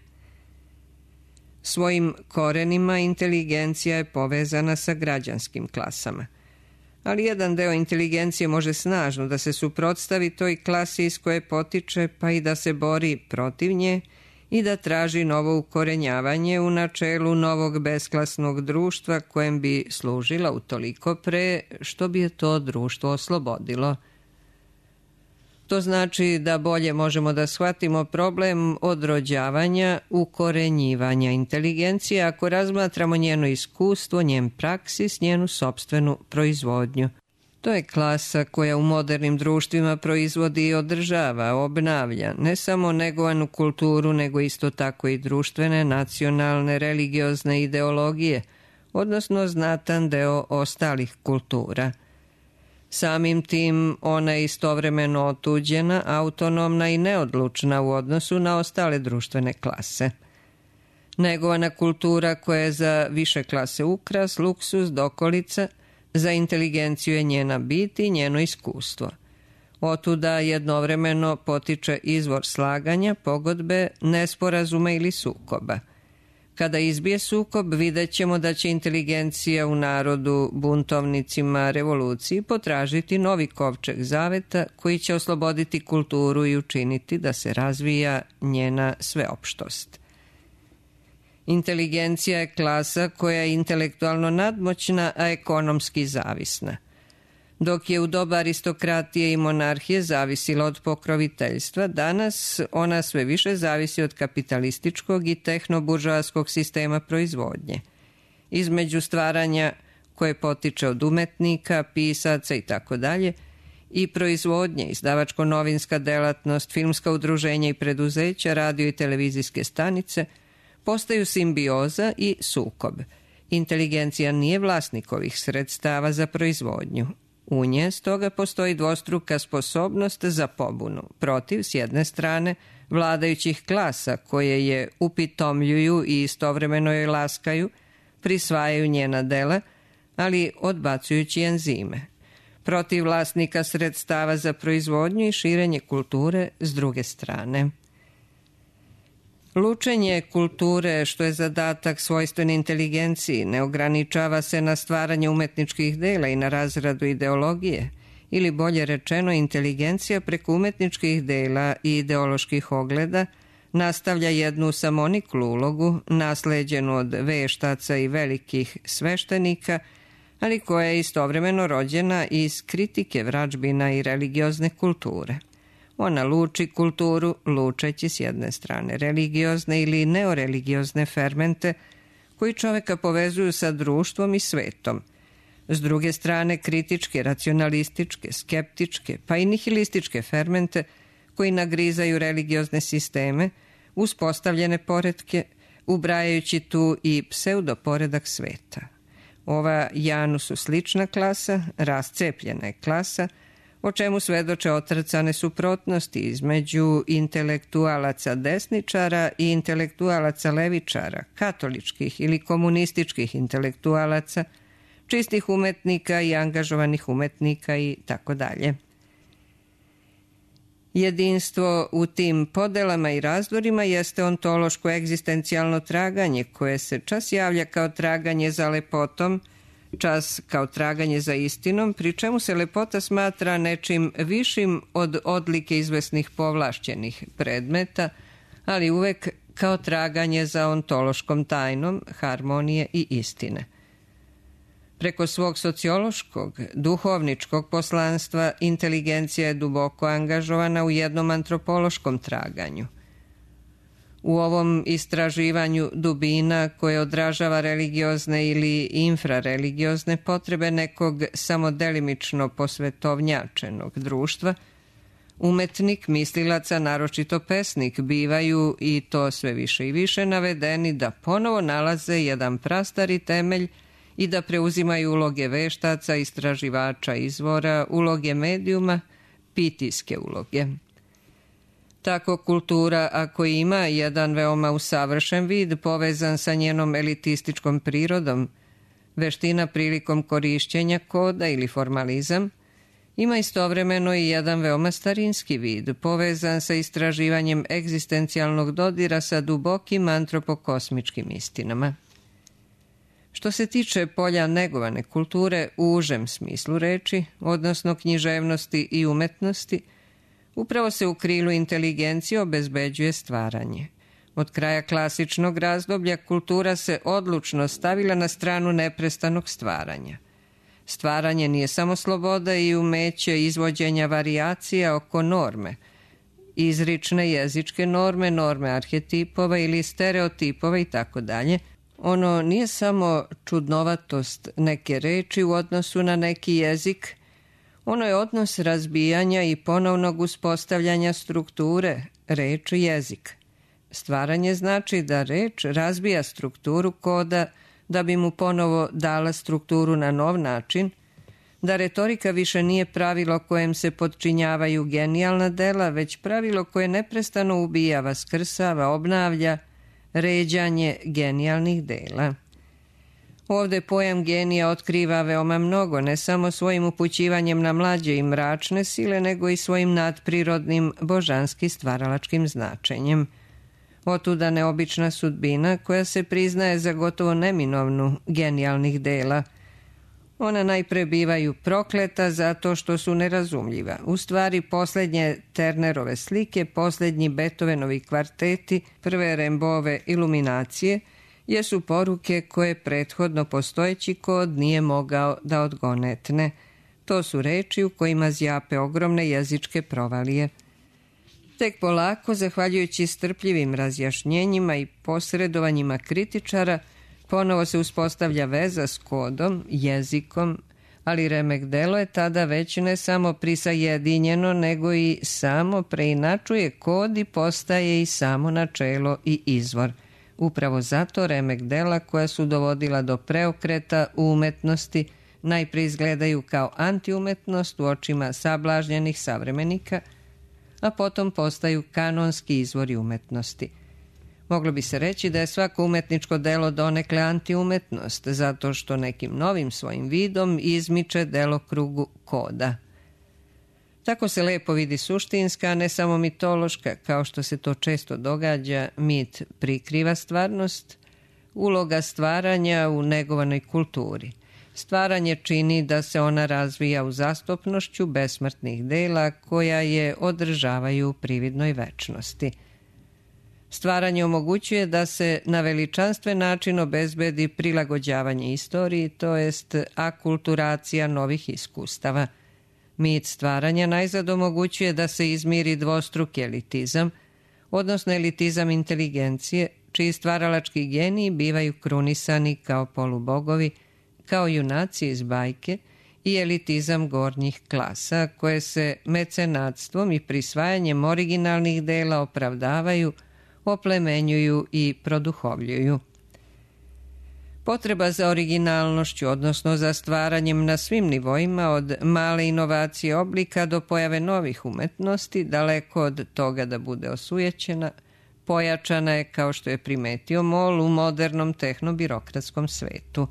[SPEAKER 1] Svojim korenima inteligencija je povezana sa građanskim klasama, ali jedan deo inteligencije može snažno da se suprotstavi toj klasi iz koje potiče, pa i da se bori protiv nje i da traži novo ukorenjavanje u načelu novog besklasnog društva kojem bi služila utoliko pre što bi je to društvo oslobodilo. To znači da bolje možemo da shvatimo problem odrođavanja, ukorenjivanja inteligencije ako razmatramo njeno iskustvo, njen praksis, njenu sopstvenu proizvodnju. To je klasa koja u modernim društvima proizvodi i održava, obnavlja ne samo negovanu kulturu, nego isto tako i društvene, nacionalne, religiozne ideologije, odnosno znatan deo ostalih kultura. Samim tim ona je istovremeno otuđena, autonomna i neodlučna u odnosu na ostale društvene klase. Negovana kultura koja je za više klase ukras, luksus, dokolica, za inteligenciju je njena bit i njeno iskustvo. Otuda jednovremeno potiče izvor slaganja, pogodbe, nesporazuma ili sukoba. Kada izbije sukob, vidjet ćemo da će inteligencija u narodu, buntovnicima, revoluciji potražiti novi kovčeg zaveta koji će osloboditi kulturu i učiniti da se razvija njena sveopštost. Inteligencija je klasa koja je intelektualno nadmoćna, a ekonomski zavisna. Dok je u doba aristokratije i monarhije zavisila od pokroviteljstva, danas ona sve više zavisi od kapitalističkog i tehnoburžoaskog sistema proizvodnje. Između stvaranja koje potiče od umetnika, pisaca i tako dalje I proizvodnje, izdavačko-novinska delatnost, filmska udruženja i preduzeća, radio i televizijske stanice postaju simbioza i sukob. Inteligencija nije vlasnik ovih sredstava za proizvodnju. U nje stoga postoji dvostruka sposobnost za pobunu protiv, s jedne strane, vladajućih klasa koje je upitomljuju i istovremeno joj laskaju, prisvajaju njena dela, ali odbacujući enzime. Protiv vlasnika sredstava za proizvodnju i širenje kulture s druge strane. Lučenje kulture, što je zadatak svojstven inteligenciji, ne ograničava se na stvaranje umetničkih dela i na razradu ideologije, ili bolje rečeno, inteligencija preko umetničkih dela i ideoloških ogleda nastavlja jednu samoniklu ulogu, nasleđenu od veštaca i velikih sveštenika, ali koja je istovremeno rođena iz kritike vražbina i religiozne kulture. Ona luči kulturu, lučeći s jedne strane religiozne ili neoreligiozne fermente koji čoveka povezuju sa društvom i svetom, s druge strane kritičke, racionalističke, skeptičke pa i nihilističke fermente koji nagrizaju religiozne sisteme, uspostavljene poretke, ubrajajući tu i pseudoporedak sveta. Ova Janu su slična klasa, rascepljena je klasa, o čemu svedoče otrcane suprotnosti između intelektualaca desničara i intelektualaca levičara, katoličkih ili komunističkih intelektualaca, čistih umetnika i angažovanih umetnika i tako dalje. Jedinstvo u tim podelama i razdorima jeste ontološko egzistencijalno traganje koje se čas javlja kao traganje za lepotom, čas kao traganje za istinom, pri čemu se lepota smatra nečim višim od odlike izvesnih povlašćenih predmeta, ali uvek kao traganje za ontološkom tajnom, harmonije i istine. Preko svog sociološkog, duhovničkog poslanstva, inteligencija je duboko angažovana u jednom antropološkom traganju. U ovom istraživanju dubina koje odražava religiozne ili infrareligiozne potrebe nekog samodelimično posvetovnjačenog društva, umetnik, mislilaca, naročito pesnik, bivaju, i to sve više i više, navedeni da ponovo nalaze jedan prastari temelj i da preuzimaju uloge veštaca, istraživača izvora, uloge medijuma, pitijske uloge. Tako kultura, ako ima jedan veoma usavršen vid povezan sa njenom elitističkom prirodom, veština prilikom korišćenja koda ili formalizam, ima istovremeno i jedan veoma starinski vid povezan sa istraživanjem egzistencijalnog dodira sa dubokim antropokosmičkim istinama. Što se tiče polja negovane kulture u užem smislu reči, odnosno književnosti i umetnosti, upravo se u krilu inteligencije obezbeđuje stvaranje. Od kraja klasičnog razdoblja kultura se odlučno stavila na stranu neprestanog stvaranja. Stvaranje nije samo sloboda i umeće izvođenja varijacija oko norme, izrične jezičke norme, norme arhetipova ili stereotipova i tako dalje. Ono nije samo čudnovatost neke reči u odnosu na neki jezik, ono je odnos razbijanja i ponovnog uspostavljanja strukture, reč i jezik. Stvaranje znači da reč razbija strukturu koda da bi mu ponovo dala strukturu na nov način, da retorika više nije pravilo kojem se podčinjavaju genijalna dela, već pravilo koje neprestano ubija, vaskrsava, obnavlja, ređanje genijalnih dela. Ovde pojam genija otkriva veoma mnogo, ne samo svojim upućivanjem na mlađe i mračne sile, nego i svojim nadprirodnim, božanski stvaralačkim značenjem. Otuda neobična sudbina koja se priznaje za gotovo neminovnu genijalnih dela. Ona najpre bivaju prokleta zato što su nerazumljiva. U stvari, poslednje Ternerove slike, poslednji Beethovenovi kvarteti, prve Rembove iluminacije, jesu poruke koje prethodno postojeći kod nije mogao da odgonetne. To su reči u kojima zjape ogromne jezičke provalije. Tek polako, zahvaljujući strpljivim razjašnjenjima i posredovanjima kritičara, ponovo se uspostavlja veza s kodom, jezikom, ali remek delo je tada već ne samo prisajedinjeno, nego i samo preinačuje kod i postaje i samo načelo i izvor. Upravo zato remek dela koja su dovodila do preokreta u umetnosti najprije izgledaju kao antiumetnost u očima sablažnjenih savremenika, a potom postaju kanonski izvori umetnosti. Moglo bi se reći da je svako umetničko delo donekle antiumetnost, zato što nekim novim svojim vidom izmiče delokrugu koda. Tako se lepo vidi suštinska, a ne samo mitološka, kao što se to često događa, mit prikriva stvarnost, uloga stvaranja u negovanoj kulturi. Stvaranje čini da se ona razvija u zastupnošću besmrtnih dela koja je održavaju u prividnoj večnosti. Stvaranje omogućuje da se na veličanstven način obezbedi prilagođavanje istoriji, to jest akulturacija novih iskustava. Mit stvaranja najzad omogućuje da se izmiri dvostruki elitizam, odnosno elitizam inteligencije, čiji stvaralački geniji bivaju krunisani kao polubogovi, kao junaci iz bajke, i elitizam gornjih klasa, koje se mecenatstvom i prisvajanjem originalnih dela opravdavaju, oplemenjuju i produhovljuju. Potreba za originalnošću, odnosno za stvaranjem na svim nivoima, od male inovacije oblika do pojave novih umetnosti, daleko od toga da bude osujećena, pojačana je, kao što je primetio Moll, u modernom tehnobirokratskom svetu.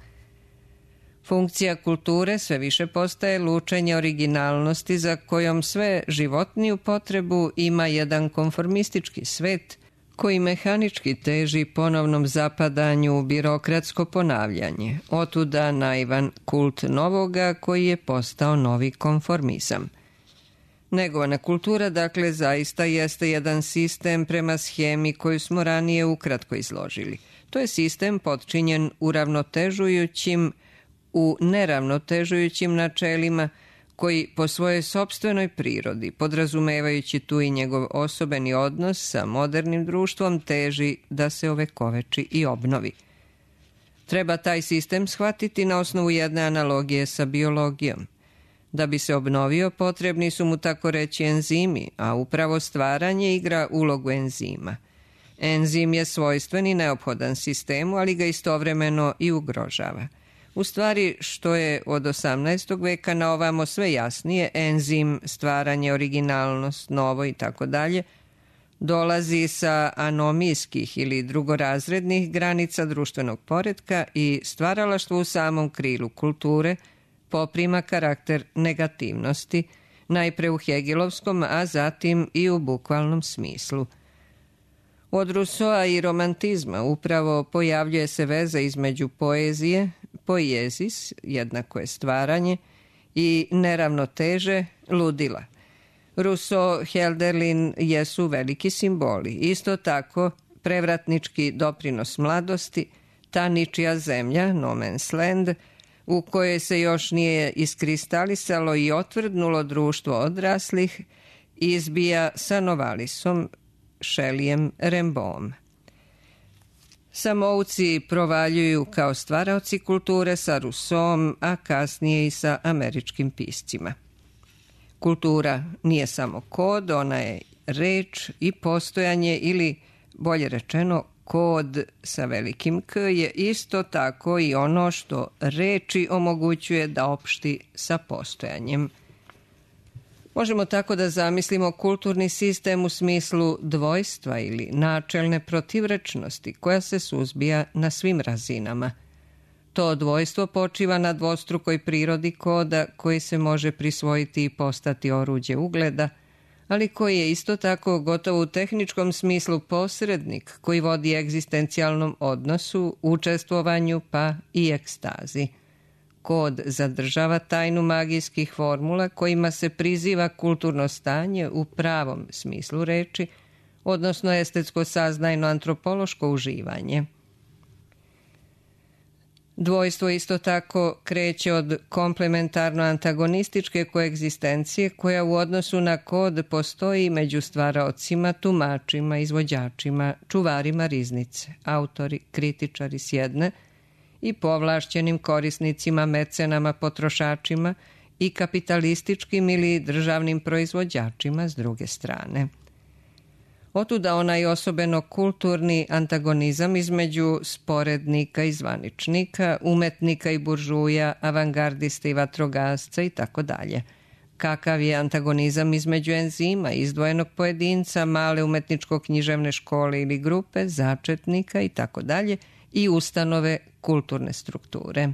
[SPEAKER 1] Funkcija kulture sve više postaje lučenje originalnosti za kojom sve životniju potrebu ima jedan konformistički svet koji mehanički teži ponovnom zapadanju u birokratsko ponavljanje. Otuda naivan kult novoga koji je postao novi konformizam. Negovana kultura, dakle, zaista jeste jedan sistem prema schemi koju smo ranije ukratko izložili. To je sistem potčinjen uravnotežujućim u neravnotežujućim načelima koji po svojoj sopstvenoj prirodi, podrazumevajući tu i njegov osobeni odnos sa modernim društvom, teži da se ovekoveči i obnovi. Treba taj sistem shvatiti na osnovu jedne analogije sa biologijom. Da bi se obnovio, potrebni su mu tako reći enzimi, a upravo stvaranje igra ulogu enzima. Enzim je svojstven i neophodan sistemu, ali ga istovremeno i ugrožava. U stvari, što je od osamnaestog veka na ovamo sve jasnije, enzim, stvaranje, originalnost, novo i tako dalje, dolazi sa anomijskih ili drugorazrednih granica društvenog poretka i stvaralaštvo u samom krilu kulture poprima karakter negativnosti, najpre u hegelovskom, a zatim i u bukvalnom smislu. Od Rousseaua i romantizma upravo pojavljuje se veza između poezije, poiesis, jednako je stvaranje, i neravnoteže, ludila. Rousseau, Hölderlin jesu veliki simboli. Isto tako, prevratnički doprinos mladosti, ta ničija zemlja, no man's land, u kojoj se još nije iskristalisalo i otvrdnulo društvo odraslih, izbija sa Novalisom, Shelleyem, Rimbaudom. Samouci provaljuju kao stvaraoci kulture sa Rousseauom, a kasnije i sa američkim piscima. Kultura nije samo kod, ona je reč i postojanje, ili bolje rečeno kod sa velikim K je isto tako i ono što reči omogućuje da opšti sa postojanjem. Možemo tako da zamislimo kulturni sistem u smislu dvojstva ili načelne protivrečnosti koja se suzbija na svim razinama. To dvojstvo počiva na dvostrukoj prirodi koda koji se može prisvojiti i postati oruđe ugleda, ali koji je isto tako gotovo u tehničkom smislu posrednik koji vodi egzistencijalnom odnosu, učestvovanju pa i ekstazi. Kod zadržava tajnu magijskih formula kojima se priziva kulturno stanje u pravom smislu reči, odnosno estetsko saznajno antropološko uživanje. Dvojstvo isto tako kreće od komplementarno-antagonističke koegzistencije koja u odnosu na kod postoji među stvaraocima, tumačima, izvođačima, čuvarima riznice, autori, kritičari s jedne i povlašćenim korisnicima, mecenama, potrošačima i kapitalističkim ili državnim proizvođačima s druge strane. Otuda onaj osobeno kulturni antagonizam između sporednika i zvaničnika, umetnika i buržuja, avangardista i vatrogasca i tako dalje. Kakav je antagonizam između enzima, izdvojenog pojedinca, male umetničko-književne škole ili grupe, začetnika i tako dalje i ustanove kulturne strukture.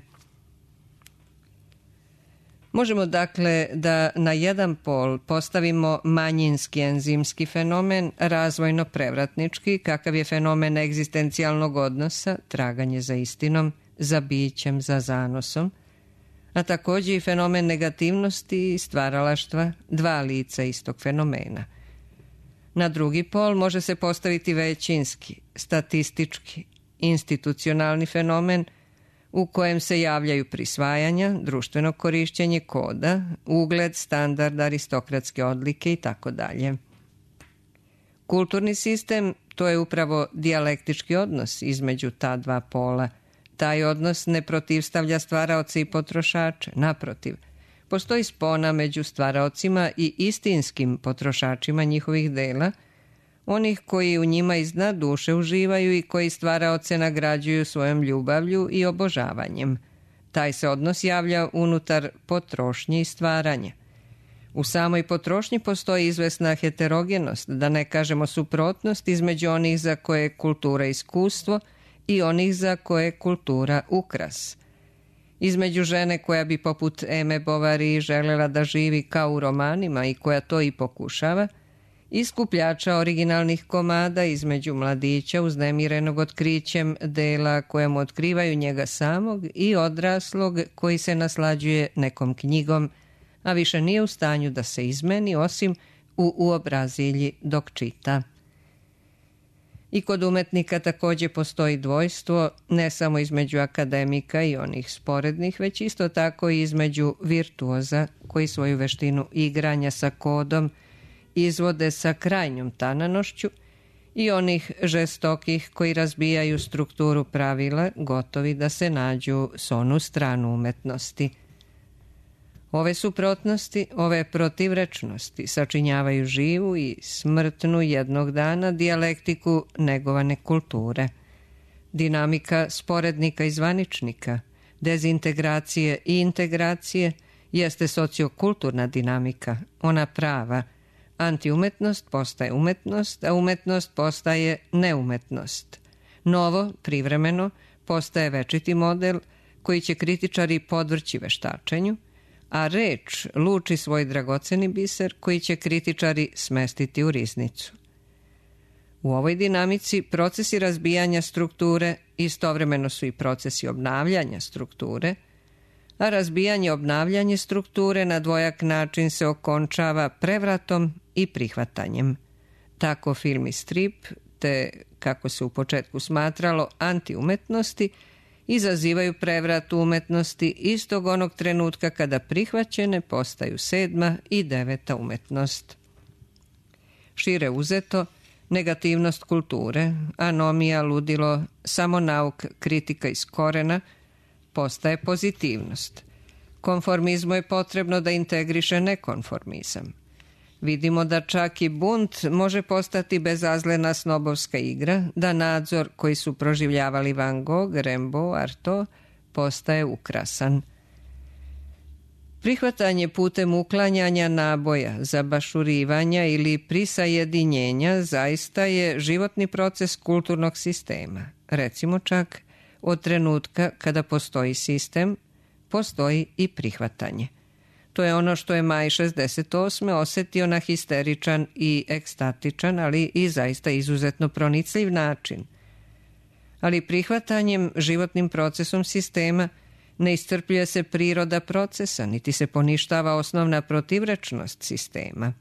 [SPEAKER 1] Možemo dakle da na jedan pol postavimo manjinski enzimski fenomen, razvojno prevratnički, kakav je fenomen egzistencijalnog odnosa, traganje za istinom, za bićem, za zanosom, a također i fenomen negativnosti i stvaralaštva, dva lica istog fenomena. Na drugi pol može se postaviti većinski, statistički, institucionalni fenomen u kojem se javljaju prisvajanja, društveno korišćenje koda, ugled, standard, aristokratske odlike i tako dalje. Kulturni sistem to je upravo dijalektički odnos između ta dva pola. Taj odnos ne protivstavlja stvaraoce i potrošače, naprotiv. Postoji spona među stvaraocima i istinskim potrošačima njihovih dela, onih koji u njima iznad duše uživaju i koji stvaraoce nagrađuju svojom ljubavlju i obožavanjem. Taj se odnos javlja unutar potrošnje i stvaranja. U samoj potrošnji postoji izvesna heterogenost, da ne kažemo suprotnost između onih za koje je kultura iskustvo i onih za koje je kultura ukras. Između žene koja bi poput Eme Bovary želela da živi kao u romanima i koja to i pokušava, i skupljača originalnih komada između mladića uznemirenog otkrićem dela koja mu otkrivaju njega samog i odraslog koji se naslađuje nekom knjigom, a više nije u stanju da se izmeni osim u uobrazilji dok čita. I kod umetnika također postoji dvojstvo, ne samo između akademika i onih sporednih, već isto tako i između virtuoza koji svoju veštinu igranja sa kodom izvode sa krajnjom tananošću i onih žestokih koji razbijaju strukturu pravila, gotovi da se nađu s onu stranu umetnosti. Ove suprotnosti, ove protivrečnosti sačinjavaju živu i smrtnu jednog dana dijalektiku negovane kulture. Dinamika sporednika i zvaničnika, dezintegracije i integracije jeste sociokulturna dinamika, ona prava. Antiumetnost postaje umetnost, a umetnost postaje neumetnost. Novo, privremeno, postaje večiti model koji će kritičari podvrći veštačenju, a reč luči svoj dragoceni biser koji će kritičari smestiti u riznicu. U ovoj dinamici procesi razbijanja strukture istovremeno su i procesi obnavljanja strukture, a razbijanje i obnavljanje strukture na dvojak način se okončava prevratom i prihvatanjem. Tako film i strip, te, kako se u početku smatralo, antiumetnosti, izazivaju prevrat umetnosti istog onog trenutka kada prihvaćene postaju sedma i deveta umetnost. Šire uzeto, negativnost kulture, anomija, ludilo, samonauk, kritika iz korena, postaje pozitivnost. Konformizmu je potrebno da integriše nekonformizam. Vidimo da čak i bunt može postati bezazlena snobovska igra, da nadzor koji su proživljavali Van Gogh, Rimbaud, Artaud postaje ukrasan. Prihvatanje putem uklanjanja naboja, zabašurivanja ili prisajedinjenja zaista je životni proces kulturnog sistema. Recimo čak, od trenutka kada postoji sistem, postoji i prihvatanje. To je ono što je maj šezdeset osme osetio na histeričan i ekstatičan, ali i zaista izuzetno pronicljiv način. Ali prihvatanjem, životnim procesom sistema, ne iscrpljuje se priroda procesa, niti se poništava osnovna protivrečnost sistema.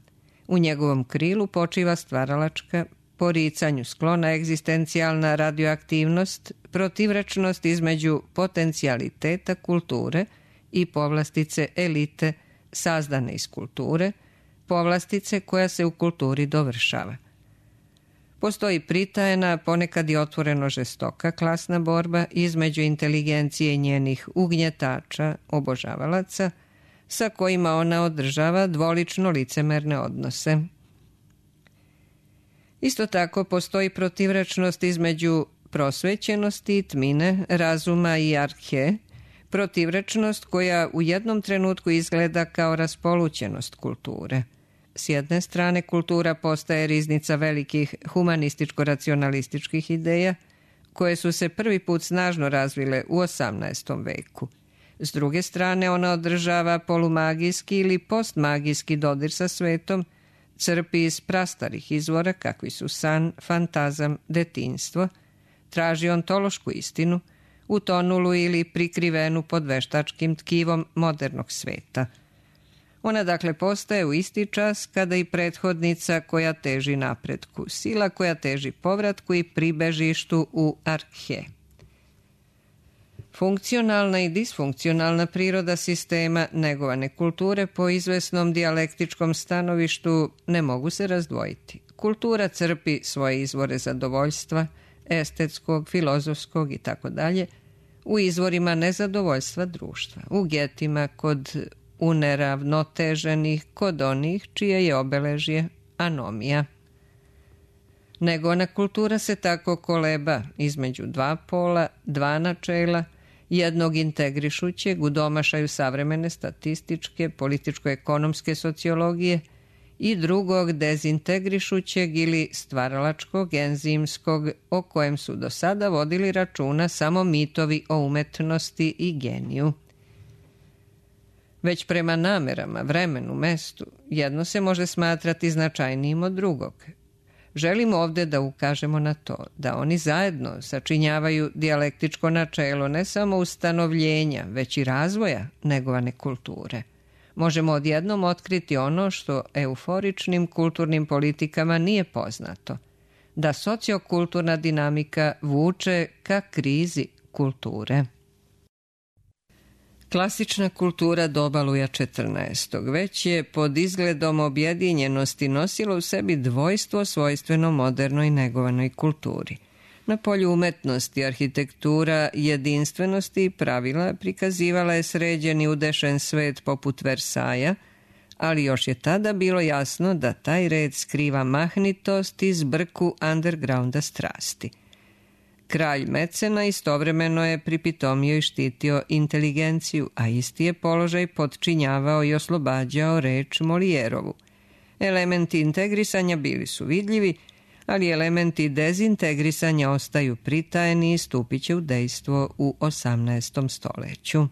[SPEAKER 1] U njegovom krilu počiva stvaralačka, poricanju sklona egzistencijalna radioaktivnost, protivrečnost između potencijaliteta kulture i povlastice elite sazdane iz kulture, povlastice koja se u kulturi dovršava. Postoji pritajena, ponekad i otvoreno žestoka klasna borba između inteligencije i njenih ugnjetača, obožavalaca, sa kojima ona održava dvolično licemerne odnose. Isto tako postoji protivrečnost između prosvećenosti i tmine, razuma i arhe, protivrečnost koja u jednom trenutku izgleda kao raspolućenost kulture. S jedne strane, kultura postaje riznica velikih humanističko-racionalističkih ideja, koje su se prvi put snažno razvile u osamnaestom veku. S druge strane, ona održava polumagijski ili postmagijski dodir sa svetom, crpi iz prastarih izvora kakvi su san, fantazam, detinjstvo, traži ontološku istinu, utonulu ili prikrivenu pod veštačkim tkivom modernog sveta. Ona dakle postaje u isti čas kada i prethodnica koja teži napretku, sila koja teži povratku i pribežištu u arhe. Funkcionalna i disfunkcionalna priroda sistema negovane kulture po izvesnom dijalektičkom stanovištu ne mogu se razdvojiti. Kultura crpi svoje izvore zadovoljstva, estetskog, filozofskog i tako dalje, u izvorima nezadovoljstva društva, u getima kod uneravnoteženih, kod onih čije je obeležje anomija. Negovana kultura se tako koleba između dva pola, dva načela, jednog integrišućeg u domašaju savremene statističke, političko-ekonomske sociologije i drugog dezintegrišućeg ili stvaralačkog, enzimskog, o kojem su do sada vodili računa samo mitovi o umetnosti i geniju. Već prema namerama, vremenu, mestu, jedno se može smatrati značajnijim od drugog. Želimo ovde da ukažemo na to da oni zajedno sačinjavaju dijalektičko načelo ne samo ustanovljenja, već i razvoja negovane kulture. Možemo odjednom otkriti ono što euforičnim kulturnim politikama nije poznato, da sociokulturna dinamika vuče ka krizi kulture. Klasična kultura doba Luja četrnaestog. već je pod izgledom objedinjenosti nosila u sebi dvojstvo svojstveno modernoj negovanoj kulturi. Na polju umetnosti, arhitektura, jedinstvenosti i pravila prikazivala je sređeni udešen svet poput Versaja, ali još je tada bilo jasno da taj red skriva mahnitost i zbrku undergrounda strasti. Kralj Mecena istovremeno je pripitomio i štitio inteligenciju, a isti je položaj podčinjavao i oslobađao reč Molijerovu. Elementi integrisanja bili su vidljivi, ali elementi dezintegrisanja ostaju pritajeni i stupit će u dejstvo u osamnaestom stoleću.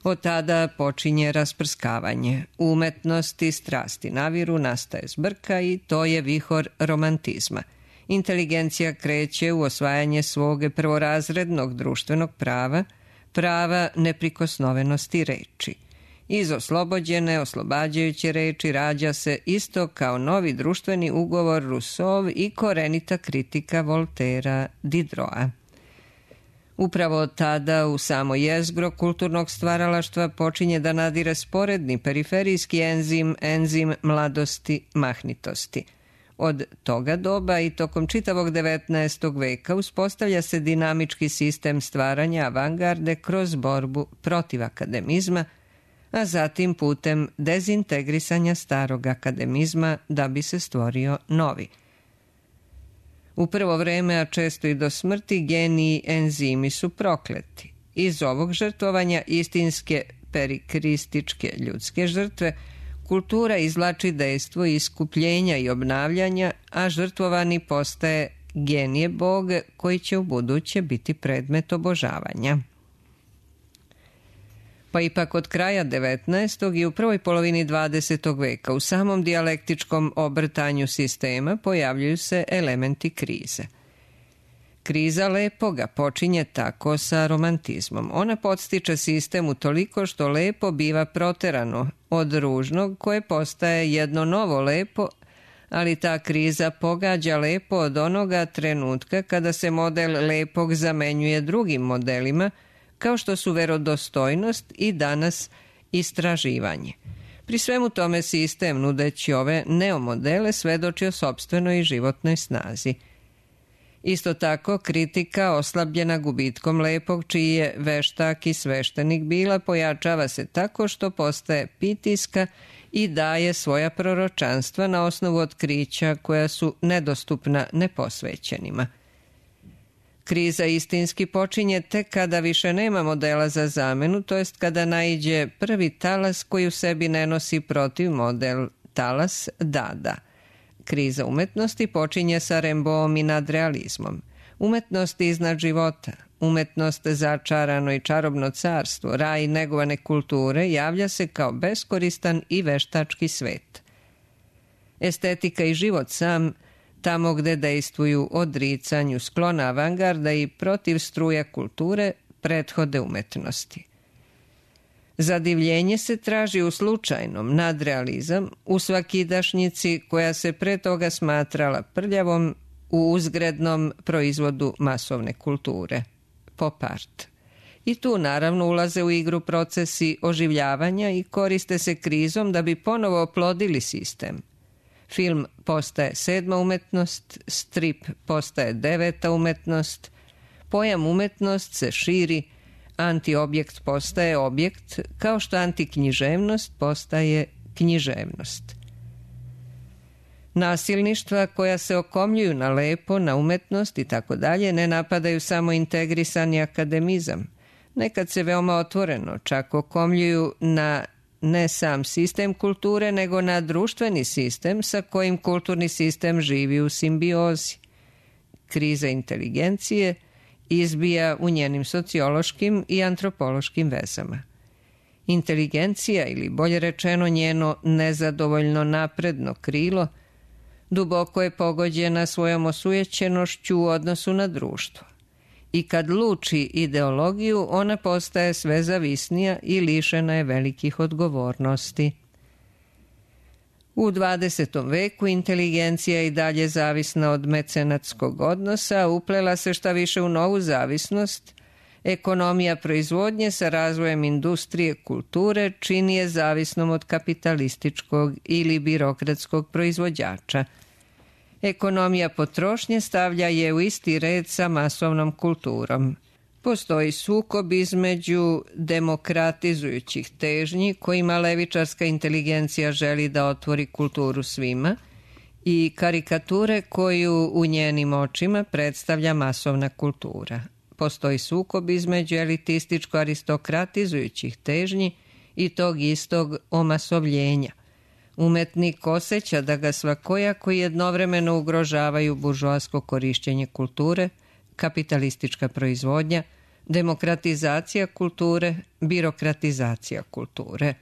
[SPEAKER 1] Od tada počinje rasprskavanje. Umetnost i strasti naviru, nastaje zbrka i to je vihor romantizma. Inteligencija kreće u osvajanje svog prvorazrednog društvenog prava, prava neprikosnovenosti reči. Iz oslobođene, oslobađajuće reči rađa se isto kao novi društveni ugovor Rousseau i korenita kritika Voltera Diderota. Upravo tada u samo jezgro kulturnog stvaralaštva počinje da nadire sporedni periferijski enzim, enzim mladosti, mahnitosti. Od toga doba i tokom čitavog devetnaestog veka uspostavlja se dinamički sistem stvaranja avangarde kroz borbu protiv akademizma, a zatim putem dezintegrisanja starog akademizma da bi se stvorio novi. U prvo vreme, a često i do smrti, geniji enzimi su prokleti. Iz ovog žrtvovanja istinske perikrističke ljudske žrtve kultura izvlači dejstvo iskupljenja i obnavljanja, a žrtvovani postaje genije Bog koji će u buduće biti predmet obožavanja. Pa ipak od kraja devetnaestog i u prvoj polovini dvadesetog veka u samom dijalektičkom obrtanju sistema pojavljuju se elementi krize. Kriza lepoga počinje tako sa romantizmom. Ona podstiče sistem u toliko što lepo biva proterano od ružnog koje postaje jedno novo lepo, ali ta kriza pogađa lepo od onoga trenutka kada se model lepog zamenjuje drugim modelima, kao što su verodostojnost i danas istraživanje. Pri svemu tome sistem, nudeći ove neomodele, svedoči o sopstvenoj i životnoj snazi. Isto tako, kritika oslabljena gubitkom lepog, čiji je veštak i sveštenik bila, pojačava se tako što postaje pitiska i daje svoja proročanstva na osnovu otkrića koja su nedostupna neposvećenima. Kriza istinski počinje tek kada više nema modela za zamenu, to jest kada naiđe prvi talas koji u sebi ne nosi protiv model talas Dada. Kriza umetnosti počinje sa Rimbaudom i nadrealizmom. Umetnost iznad života, umetnost začarano i čarobno carstvo, raj negovane kulture javlja se kao beskoristan i veštački svet. Estetika i život sam, tamo gde dejstvuju odricanju sklona avangarda i protiv struja kulture, prethode umetnosti. Zadivljenje se traži u slučajnom, nadrealizam, u svakidašnjici koja se pre toga smatrala prljavom, u uzgrednom proizvodu masovne kulture, pop art. I tu naravno ulaze u igru procesi oživljavanja i koriste se krizom da bi ponovo oplodili sistem. Film postaje sedma umetnost, strip postaje deveta umetnost, pojam umetnost se širi, antiobjekt postaje objekt, kao što antiknjiževnost postaje književnost. Nasilništva koja se okomljuju na lepo, na umetnost i tako dalje ne napadaju samo integrisani akademizam. Nekad se veoma otvoreno čak okomljuju na ne sam sistem kulture, nego na društveni sistem sa kojim kulturni sistem živi u simbiozi. Kriza inteligencije izbija u njenim sociološkim i antropološkim vezama. Inteligencija, ili bolje rečeno njeno nezadovoljno napredno krilo, duboko je pogođena svojom osujećenošću u odnosu na društvo. I kad luči ideologiju, ona postaje sve zavisnija i lišena je velikih odgovornosti. U dvadesetom veku inteligencija je i dalje zavisna od mecenatskog odnosa, uplela se šta više u novu zavisnost. Ekonomija proizvodnje sa razvojem industrije kulture čini je zavisnom od kapitalističkog ili birokratskog proizvođača. Ekonomija potrošnje stavlja je u isti red sa masovnom kulturom. Postoji sukob između demokratizujućih težnji kojima levičarska inteligencija želi da otvori kulturu svima i karikature koju u njenim očima predstavlja masovna kultura. Postoji sukob između elitističko-aristokratizujućih težnji i tog istog omasovljenja. Umetnik osjeća da ga svakojako jednovremeno ugrožavaju buržoasko korišćenje kulture, kapitalistička proizvodnja, demokratizacija kulture, birokratizacija kulture.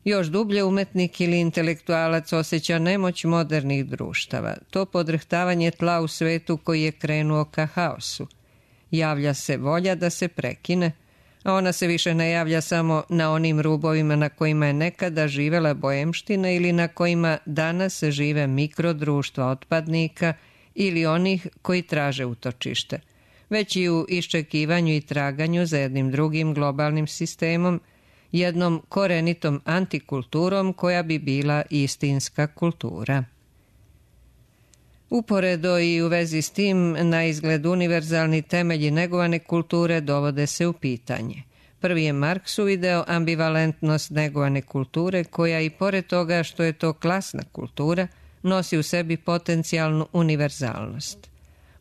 [SPEAKER 1] Još dublje umetnik ili intelektualac osjeća nemoć modernih društava, to podrhtavanje tla u svetu koji je krenuo ka haosu. Javlja se volja da se prekine, a ona se više ne javlja samo na onim rubovima na kojima je nekada živela boemština ili na kojima danas žive mikrodruštva otpadnika ili onih koji traže utočište, već i u iščekivanju i traganju za jednim drugim globalnim sistemom, jednom korenitom antikulturom koja bi bila istinska kultura. Uporedo i u vezi s tim, na izgled univerzalni temelji negovane kulture dovode se u pitanje. Prvi je Marks uvideo ambivalentnost negovane kulture koja i pored toga što je to klasna kultura, nosi u sebi potencijalnu univerzalnost.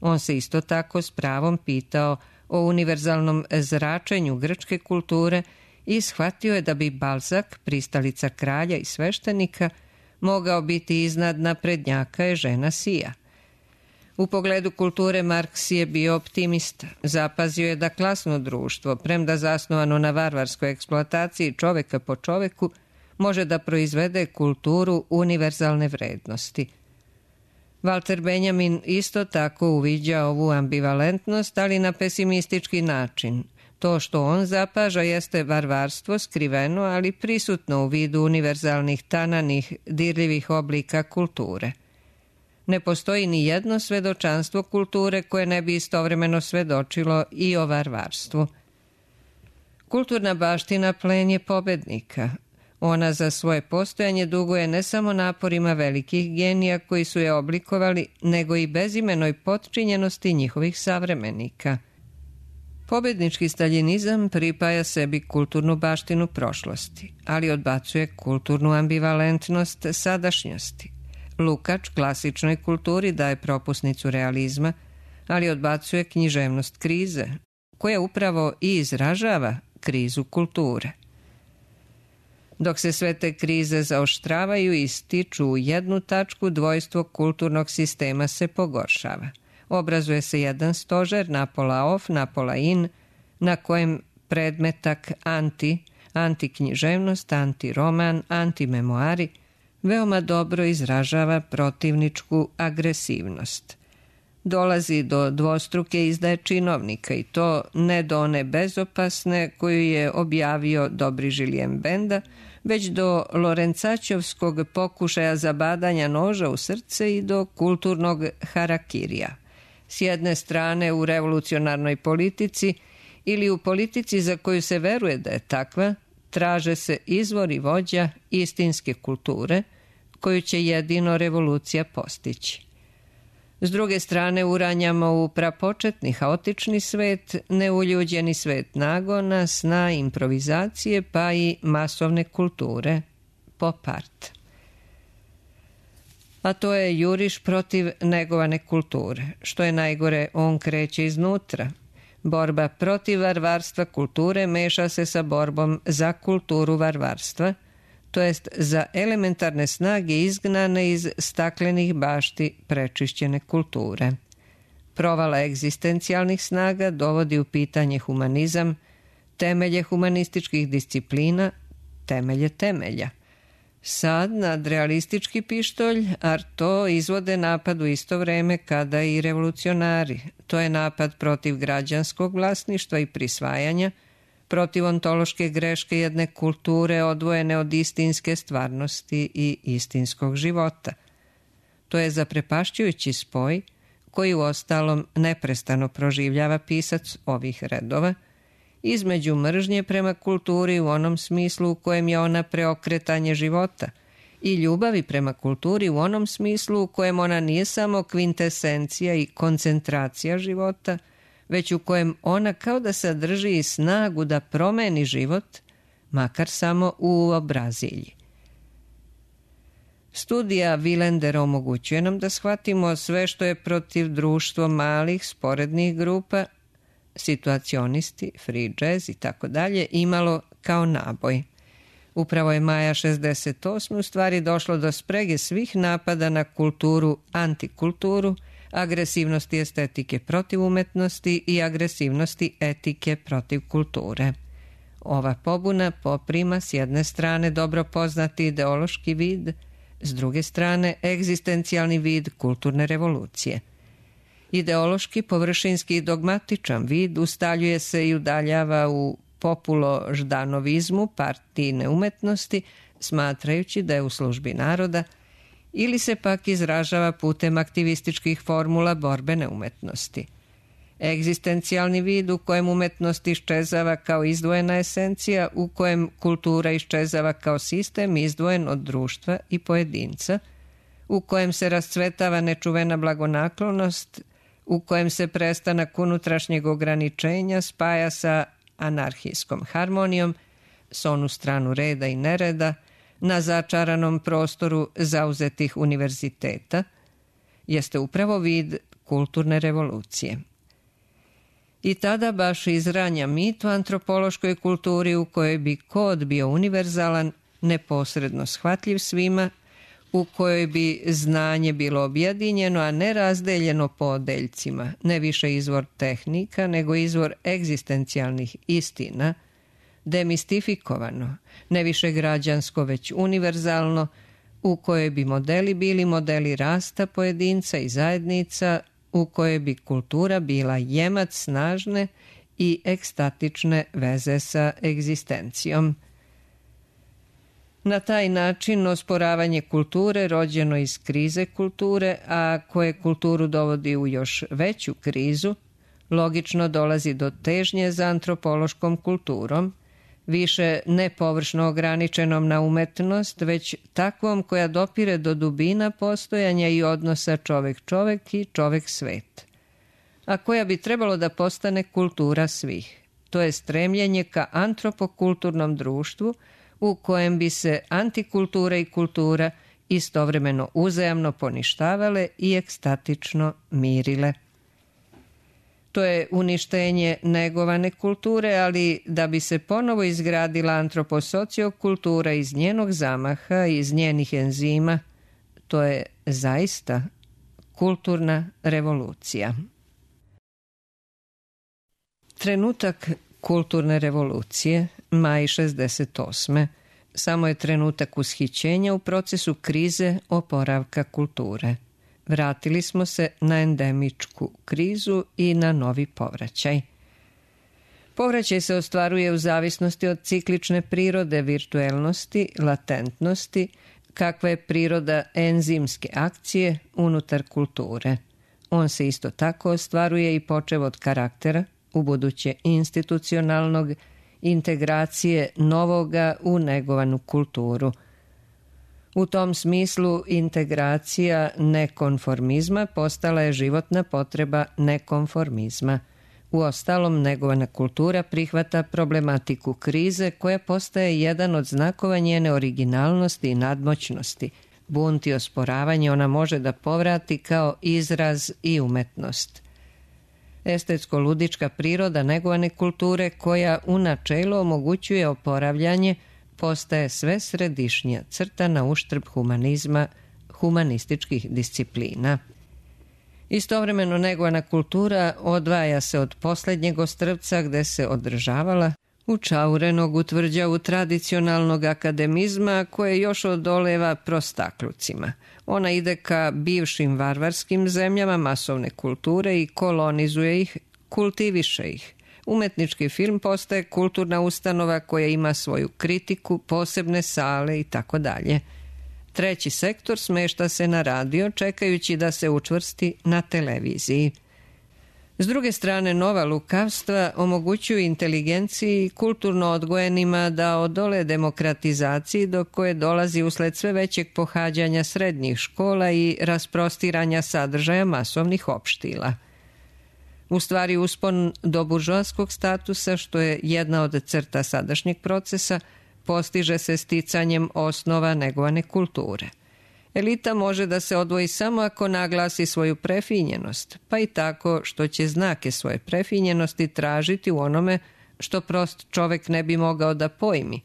[SPEAKER 1] On se isto tako s pravom pitao o univerzalnom zračenju grčke kulture i shvatio je da bi Balzac, pristalica kralja i sveštenika, mogao biti iznad naprednjaka Eugena Sija. U pogledu kulture Marks je bio optimista. Zapazio je da klasno društvo, premda zasnovano na varvarskoj eksploataciji čoveka po čoveku, može da proizvede kulturu univerzalne vrednosti. Walter Benjamin isto tako uviđa ovu ambivalentnost, ali na pesimistički način. To što on zapaža jeste varvarstvo skriveno, ali prisutno u vidu univerzalnih tananih, dirljivih oblika kulture. Ne postoji ni jedno svedočanstvo kulture koje ne bi istovremeno svedočilo i o varvarstvu. Kulturna baština plen je pobednika. Ona za svoje postojanje duguje ne samo naporima velikih genija koji su je oblikovali, nego i bezimenoj potčinjenosti njihovih savremenika. Pobednički staljinizam pripaja sebi kulturnu baštinu prošlosti, ali odbacuje kulturnu ambivalentnost sadašnjosti. Lukač klasičnoj kulturi daje propusnicu realizma, ali odbacuje književnost krize, koja upravo i izražava krizu kulture. Dok se sve te krize zaoštravaju i stiču u jednu tačku, dvojstvo kulturnog sistema se pogoršava. Obrazuje se jedan stožer, napola off, napola in, na kojem predmetak anti, antiknjiževnost, antiroman, antimemoari veoma dobro izražava protivničku agresivnost. Dolazi do dvostruke izdaje činovnika i to ne do one bezopasne koju je objavio dobri Julien Benda, već do Lorencaćevskog pokušaja zabadanja noža u srce i do kulturnog harakirija. S jedne strane u revolucionarnoj politici ili u politici za koju se veruje da je takva, traže se izvori vođa istinske kulture koju će jedino revolucija postići. S druge strane uranjamo u prapočetni haotični svet, neuljuđeni svet nagona, sna, improvizacije pa i masovne kulture, pop art. A to je juriš protiv negovane kulture. Što je najgore, on kreće iznutra. Borba protiv varvarstva kulture meša se sa borbom za kulturu varvarstva, to jest za elementarne snage izgnane iz staklenih bašti prečišćene kulture. Provala egzistencijalnih snaga dovodi u pitanje humanizam, temelje humanističkih disciplina, temelje temelja. Sad nadrealistički pištolj, a to izvode napad u isto vreme kada i revolucionari. To je napad protiv građanskog vlasništva i prisvajanja, protiv ontološke greške jedne kulture odvojene od istinske stvarnosti i istinskog života. To je zaprepašćujući spoj koji uostalom neprestano proživljava pisac ovih redova, između mržnje prema kulturi u onom smislu u kojem je ona preokretanje života i ljubavi prema kulturi u onom smislu u kojem ona nije samo kvintesencija i koncentracija života, već u kojem ona kao da sadrži i snagu da promeni život, makar samo u obrazilji. Studija Willendera omogućuje nam da shvatimo sve što je protiv društvo malih, sporednih grupa, situacionisti, free jazz i tako dalje, imalo kao naboj. Upravo je maja šezdeset osme u stvari došlo do sprege svih napada na kulturu, antikulturu, agresivnosti estetike protiv umetnosti i agresivnosti etike protiv kulture. Ova pobuna poprima s jedne strane dobro poznati ideološki vid, s druge strane egzistencijalni vid kulturne revolucije. Ideološki, površinski i dogmatičan vid ustaljuje se i udaljava u populo-ždanovizmu partijne umetnosti, smatrajući da je u službi naroda, ili se pak izražava putem aktivističkih formula borbene umetnosti. Egzistencijalni vid u kojem umetnost iščezava kao izdvojena esencija, u kojem kultura iščezava kao sistem izdvojen od društva i pojedinca, u kojem se rascvetava nečuvena blagonaklonost, u kojem se prestanak unutrašnjeg ograničenja spaja sa anarhijskom harmonijom, s onu stranu reda i nereda, na začaranom prostoru zauzetih univerziteta, jeste upravo vid kulturne revolucije. I tada baš izranja mit o antropološkoj kulturi u kojoj bi kod bio univerzalan, neposredno shvatljiv svima, u kojoj bi znanje bilo objedinjeno, a ne razdeljeno po odeljcima, ne više izvor tehnika, nego izvor egzistencijalnih istina, demistifikovano, ne više građansko, već univerzalno, u kojoj bi modeli bili modeli rasta pojedinca i zajednica, u kojoj bi kultura bila jemac snažne i ekstatične veze sa egzistencijom. Na taj način osporavanje kulture rođeno iz krize kulture, a koje kulturu dovodi u još veću krizu, logično dolazi do težnje za antropološkom kulturom, više ne površno ograničenom na umetnost, već takvom koja dopire do dubina postojanja i odnosa čovek-čovek i čovek-svet, a koja bi trebalo da postane kultura svih. To je stremljenje ka antropokulturnom društvu u kojem bi se antikultura i kultura istovremeno uzajamno poništavale i ekstatično mirile. To je uništenje negovane kulture, ali da bi se ponovo izgradila antroposociokultura iz njenog zamaha, iz njenih enzima, to je zaista kulturna revolucija. Trenutak kulturne revolucije, maj šezdeset osme samo je trenutak ushićenja u procesu krize oporavka kulture. Vratili smo se na endemičku krizu i na novi povraćaj. Povraćaj se ostvaruje u zavisnosti od ciklične prirode, virtuelnosti, latentnosti, kakva je priroda enzimske akcije unutar kulture. On se isto tako ostvaruje i počev od karaktera, ubuduće institucionalnog, integracije novoga u negovanu kulturu. U tom smislu integracija nekonformizma postala je životna potreba nekonformizma. Uostalom, negovana kultura prihvata problematiku krize koja postaje jedan od znakova njene originalnosti i nadmoćnosti. Bunt i osporavanje ona može da povrati kao izraz i umetnost. Estetsko-ludička priroda negovane kulture koja u načelu omogućuje oporavljanje postaje sve središnja crta na uštrb humanizma, humanističkih disciplina. Istovremeno negovana kultura odvaja se od posljednjeg ostrvca gde se održavala učaurenog u tvrđavu tradicionalnog akademizma koje još odoleva prostaklucima. Ona ide ka bivšim varvarskim zemljama masovne kulture i kolonizuje ih, kultiviše ih. Umetnički film postaje kulturna ustanova koja ima svoju kritiku, posebne sale i tako dalje. Treći sektor smešta se na radio čekajući da se učvrsti na televiziji. S druge strane, nova lukavstva omogućuju inteligenciji i kulturno odgojenima da odole demokratizaciji do koje dolazi usled sve većeg pohađanja srednjih škola i rasprostiranja sadržaja masovnih opštila. U stvari, uspon do buržoaskog statusa, što je jedna od crta sadašnjeg procesa, postiže se sticanjem osnova negovane kulture. Elita može da se odvoji samo ako naglasi svoju prefinjenost, pa i tako što će znake svoje prefinjenosti tražiti u onome što prost čovek ne bi mogao da pojmi,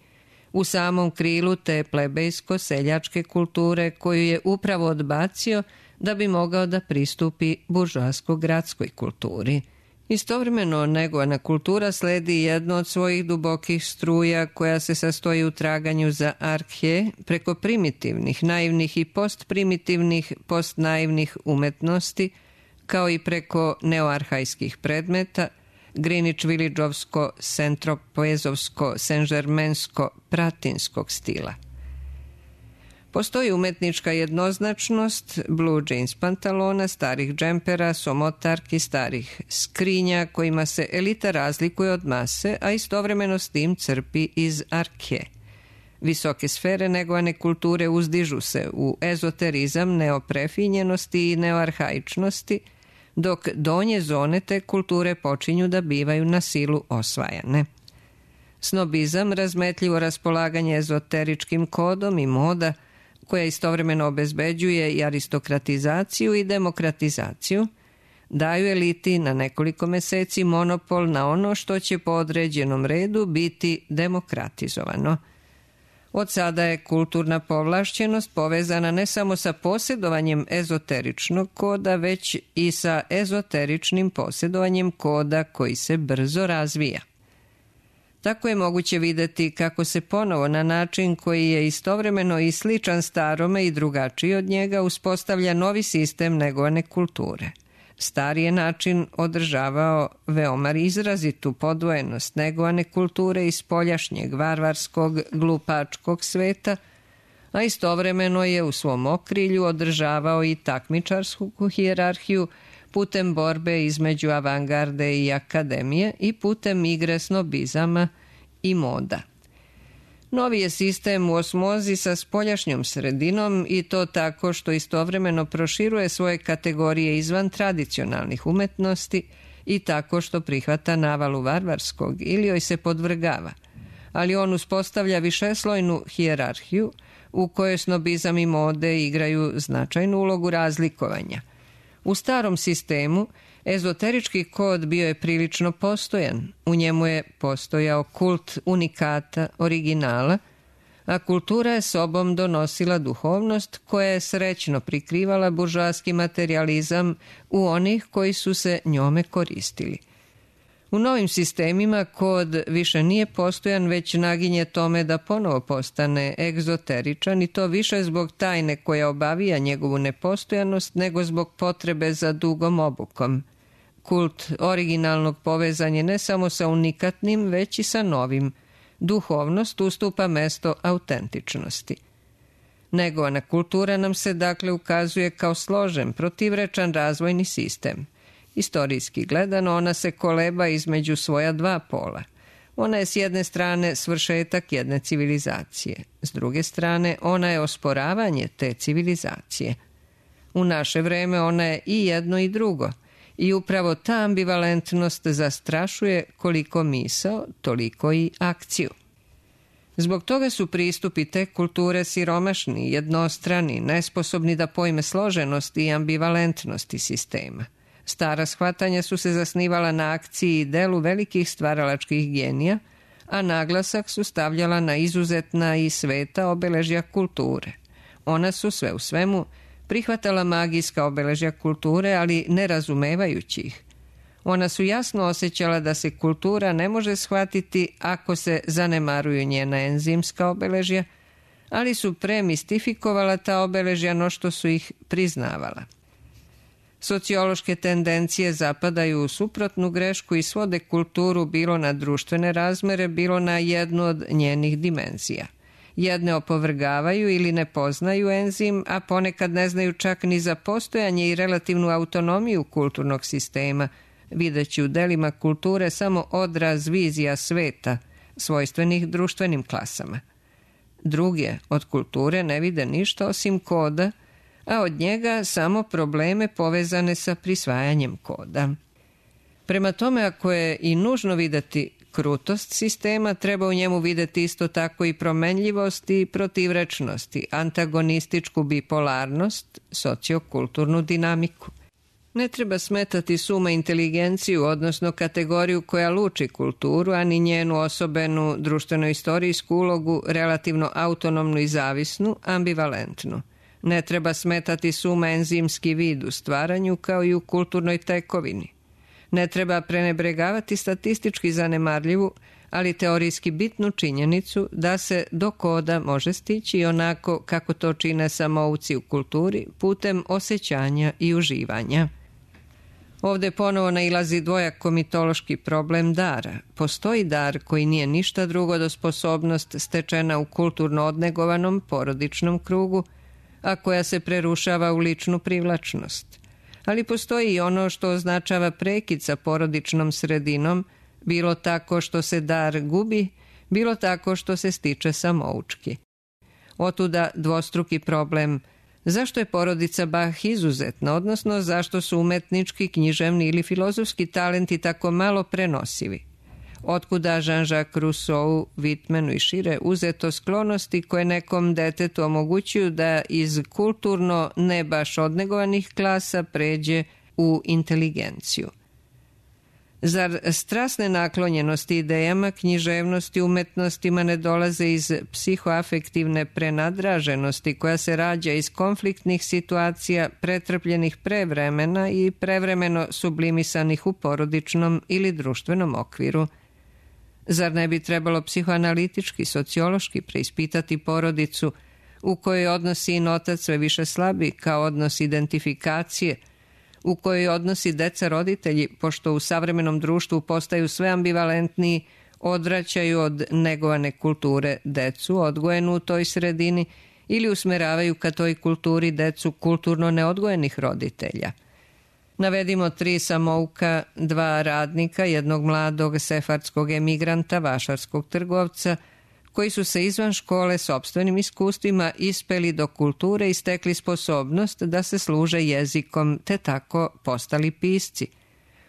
[SPEAKER 1] u samom krilu te plebejsko-seljačke kulture koju je upravo odbacio da bi mogao da pristupi buržoasko-gradskoj kulturi. Istovremeno, negovana kultura sledi jedno od svojih dubokih struja koja se sastoji u traganju za arhe preko primitivnih, naivnih i postprimitivnih, postnaivnih umetnosti, kao i preko neoarhajskih predmeta, Greenwich-Villageovsko, Centropezovsko, Saint-Germainsko, pratinskog stila. Postoji umetnička jednoznačnost blue jeans pantalona, starih džempera, somotarki, starih skrinja kojima se elita razlikuje od mase, a istovremeno s tim crpi iz arke. Visoke sfere negovane kulture uzdižu se u ezoterizam neoprefinjenosti i neoarhaičnosti, dok donje zone te kulture počinju da bivaju na silu osvajane. Snobizam, razmetljivo raspolaganje ezoteričkim kodom i moda, koja istovremeno obezbeđuje i aristokratizaciju i demokratizaciju, daju eliti na nekoliko meseci monopol na ono što će po određenom redu biti demokratizovano. Od sada je kulturna povlašćenost povezana ne samo sa posjedovanjem ezoteričnog koda, već i sa ezoteričnim posjedovanjem koda koji se brzo razvija. Tako je moguće videti kako se ponovo na način koji je istovremeno i sličan starome i drugačiji od njega uspostavlja novi sistem negovane kulture. Stari je način održavao veoma izrazitu podvojenost negovane kulture iz spoljašnjeg varvarskog, glupačkog sveta, a istovremeno je u svom okrilju održavao i takmičarsku hijerarhiju putem borbe između avangarde i akademije i putem igre snobizama i moda. Novi je sistem u osmozi sa spoljašnjom sredinom i to tako što istovremeno proširuje svoje kategorije izvan tradicionalnih umetnosti i tako što prihvata navalu varvarskog ili joj se podvrgava, ali on uspostavlja višeslojnu hijerarhiju u kojoj snobizam i mode igraju značajnu ulogu razlikovanja. U starom sistemu ezoterički kod bio je prilično postojan, u njemu je postojao kult unikata, originala, a kultura je sobom donosila duhovnost koja je srećno prikrivala buržoaski materijalizam u onih koji su se njome koristili. U novim sistemima kod više nije postojan, već naginje tome da ponovo postane egzoteričan i to više zbog tajne koja obavija njegovu nepostojanost nego zbog potrebe za dugom obukom. Kult originalnog povezan je ne samo sa unikatnim, već i sa novim. Duhovnost ustupa mesto autentičnosti. Negovana kultura nam se dakle ukazuje kao složen, protivrečan razvojni sistem. Istorijski gledano, ona se koleba između svoja dva pola. Ona je s jedne strane svršetak jedne civilizacije, s druge strane ona je osporavanje te civilizacije. U naše vreme ona je i jedno i drugo i upravo ta ambivalentnost zastrašuje koliko misao, toliko i akciju. Zbog toga su pristupi te kulture siromašni, jednostrani, nesposobni da pojme složenost i ambivalentnosti sistema. Stara shvatanja su se zasnivala na akciji i delu velikih stvaralačkih genija, a naglasak su stavljala na izuzetna i sveta obeležja kulture. Ona su sve u svemu prihvatala magijska obeležja kulture, ali ne razumevajući ih. Ona su jasno osjećala da se kultura ne može shvatiti ako se zanemaruju njena enzimska obeležja, ali su premistifikovala ta obeležja no što su ih priznavala. Sociološke tendencije zapadaju u suprotnu grešku i svode kulturu bilo na društvene razmere, bilo na jednu od njenih dimenzija. Jedne opovrgavaju ili ne poznaju enzim, a ponekad ne znaju čak ni za postojanje i relativnu autonomiju kulturnog sistema, videći u delima kulture samo odraz vizija sveta, svojstvenih društvenim klasama. Druge od kulture ne vide ništa osim koda, a od njega samo probleme povezane sa prisvajanjem koda. Prema tome, ako je i nužno videti krutost sistema, treba u njemu videti isto tako i promenljivost i protivrečnost, i antagonističku bipolarnost, sociokulturnu dinamiku. Ne treba smetati suma inteligenciju, odnosno kategoriju koja luči kulturu, ani njenu osobenu društveno-istorijsku ulogu, relativno autonomnu i zavisnu, ambivalentnu. Ne treba smetati suma enzimski vid u stvaranju kao i u kulturnoj tekovini. Ne treba prenebregavati statistički zanemarljivu, ali teorijski bitnu činjenicu da se do koda može stići onako kako to čine samouci u kulturi, putem osjećanja i uživanja. Ovde ponovo nailazi dvojako mitološki problem dara. Postoji dar koji nije ništa drugo do sposobnost stečena u kulturno odnegovanom porodičnom krugu, a koja se prerušava u ličnu privlačnost. Ali postoji i ono što označava prekid sa porodičnom sredinom, bilo tako što se dar gubi, bilo tako što se stiče samoučki. Otuda dvostruki problem: zašto je porodica Bach izuzetna, odnosno zašto su umetnički, književni ili filozofski talenti tako malo prenosivi? Otkuda Jean-Jacques Rousseau, Whitmanu i šire uzeto sklonosti koje nekom detetu omogućuju da iz kulturno ne baš odnegovanih klasa pređe u inteligenciju? Zar strasne naklonjenosti idejama, književnosti, umetnostima ne dolaze iz psihoafektivne prenadraženosti koja se rađa iz konfliktnih situacija pretrpljenih pre vremena i prevremeno sublimisanih u porodičnom ili društvenom okviru? Zar ne bi trebalo psihoanalitički, sociološki preispitati porodicu u kojoj odnos sin otac sve više slabi kao odnos identifikacije, u kojoj odnosi deca roditelji, pošto u savremenom društvu postaju sve ambivalentniji, odvraćaju od negovane kulture decu odgojenu u toj sredini ili usmeravaju ka toj kulturi decu kulturno neodgojenih roditelja? Navedimo tri samouka, dva radnika, jednog mladog sefardskog emigranta, vašarskog trgovca, koji su se izvan škole sopstvenim iskustvima ispeli do kulture i stekli sposobnost da se služe jezikom, te tako postali pisci.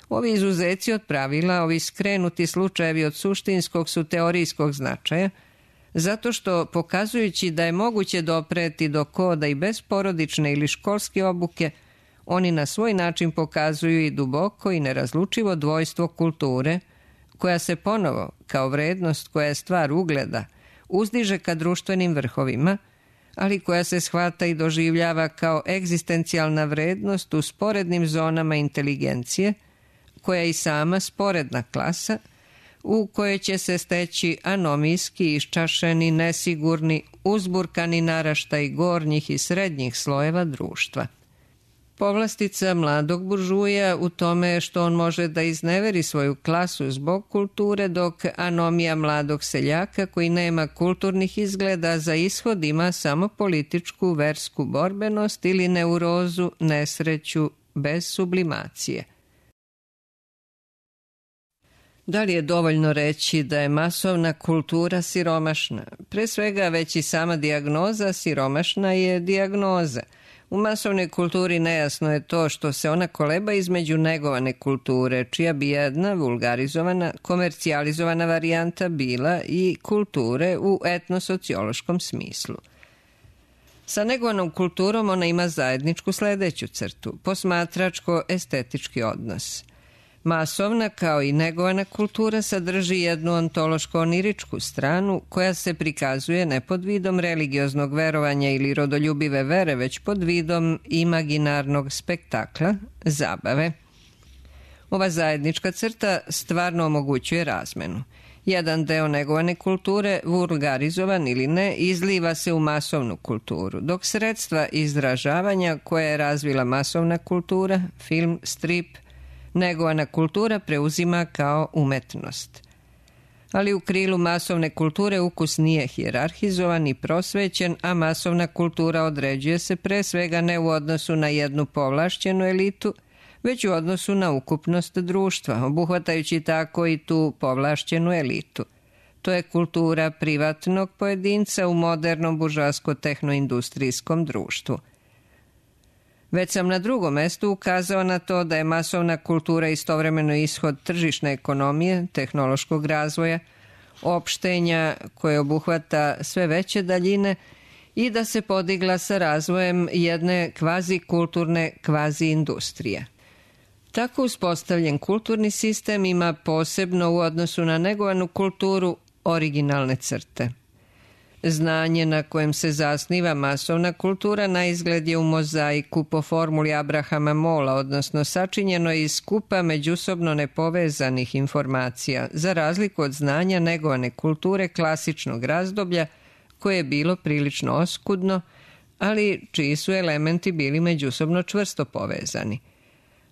[SPEAKER 1] Ovi izuzeci od pravila, ovi skrenuti slučajevi od suštinskog su teorijskog značaja, zato što, pokazujući da je moguće dopreti do koda i bez porodične ili školske obuke, oni na svoj način pokazuju i duboko i nerazlučivo dvojstvo kulture, koja se ponovo, kao vrednost koja je stvar ugleda, uzdiže ka društvenim vrhovima, ali koja se shvata i doživljava kao egzistencijalna vrednost u sporednim zonama inteligencije, koja je i sama sporedna klasa, u kojoj će se steći anomijski, iščašeni, nesigurni, uzburkani naraštaj gornjih i srednjih slojeva društva. Povlastica mladog buržuja u tome što on može da izneveri svoju klasu zbog kulture, dok anomija mladog seljaka koji nema kulturnih izgleda za ishod ima samo političku, versku borbenost ili neurozu, nesreću bez sublimacije. Da li je dovoljno reći da je masovna kultura siromašna? Pre svega, već i sama dijagnoza siromašna je dijagnoza. U masovnoj kulturi nejasno je to što se ona koleba između negovane kulture, čija bi jedna vulgarizovana, komercijalizovana varijanta bila i kulture u etnosociološkom smislu. Sa negovanom kulturom ona ima zajedničku sledeću crtu, posmatračko-estetički odnos. Masovna, kao i negovana kultura, sadrži jednu ontološko-oniričku stranu koja se prikazuje ne pod vidom religioznog verovanja ili rodoljubive vere, već pod vidom imaginarnog spektakla, zabave. Ova zajednička crta stvarno omogućuje razmenu. Jedan deo negovane kulture, vulgarizovan ili ne, izliva se u masovnu kulturu, dok sredstva izražavanja koje je razvila masovna kultura, film, strip, negovana kultura preuzima kao umetnost. Ali u krilu masovne kulture ukus nije hijerarhizovan i prosvećen, a masovna kultura određuje se pre svega ne u odnosu na jednu povlašćenu elitu, već u odnosu na ukupnost društva, obuhvatajući tako i tu povlašćenu elitu. To je kultura privatnog pojedinca u modernom buržoasko-tehnoindustrijskom društvu. Već sam na drugom mestu ukazao na to da je masovna kultura istovremeno ishod tržišne ekonomije, tehnološkog razvoja, opštenja koje obuhvata sve veće daljine i da se podigla sa razvojem jedne kvazi-kulturne kvazi-industrije. Tako uspostavljen kulturni sistem ima posebno u odnosu na negovanu kulturu originalne crte. Znanje na kojem se zasniva masovna kultura na izgled je u mozaiku po formuli Abrahama Mola, odnosno sačinjeno iz skupa međusobno nepovezanih informacija, za razliku od znanja negovane kulture klasičnog razdoblja, koje je bilo prilično oskudno, ali čiji su elementi bili međusobno čvrsto povezani.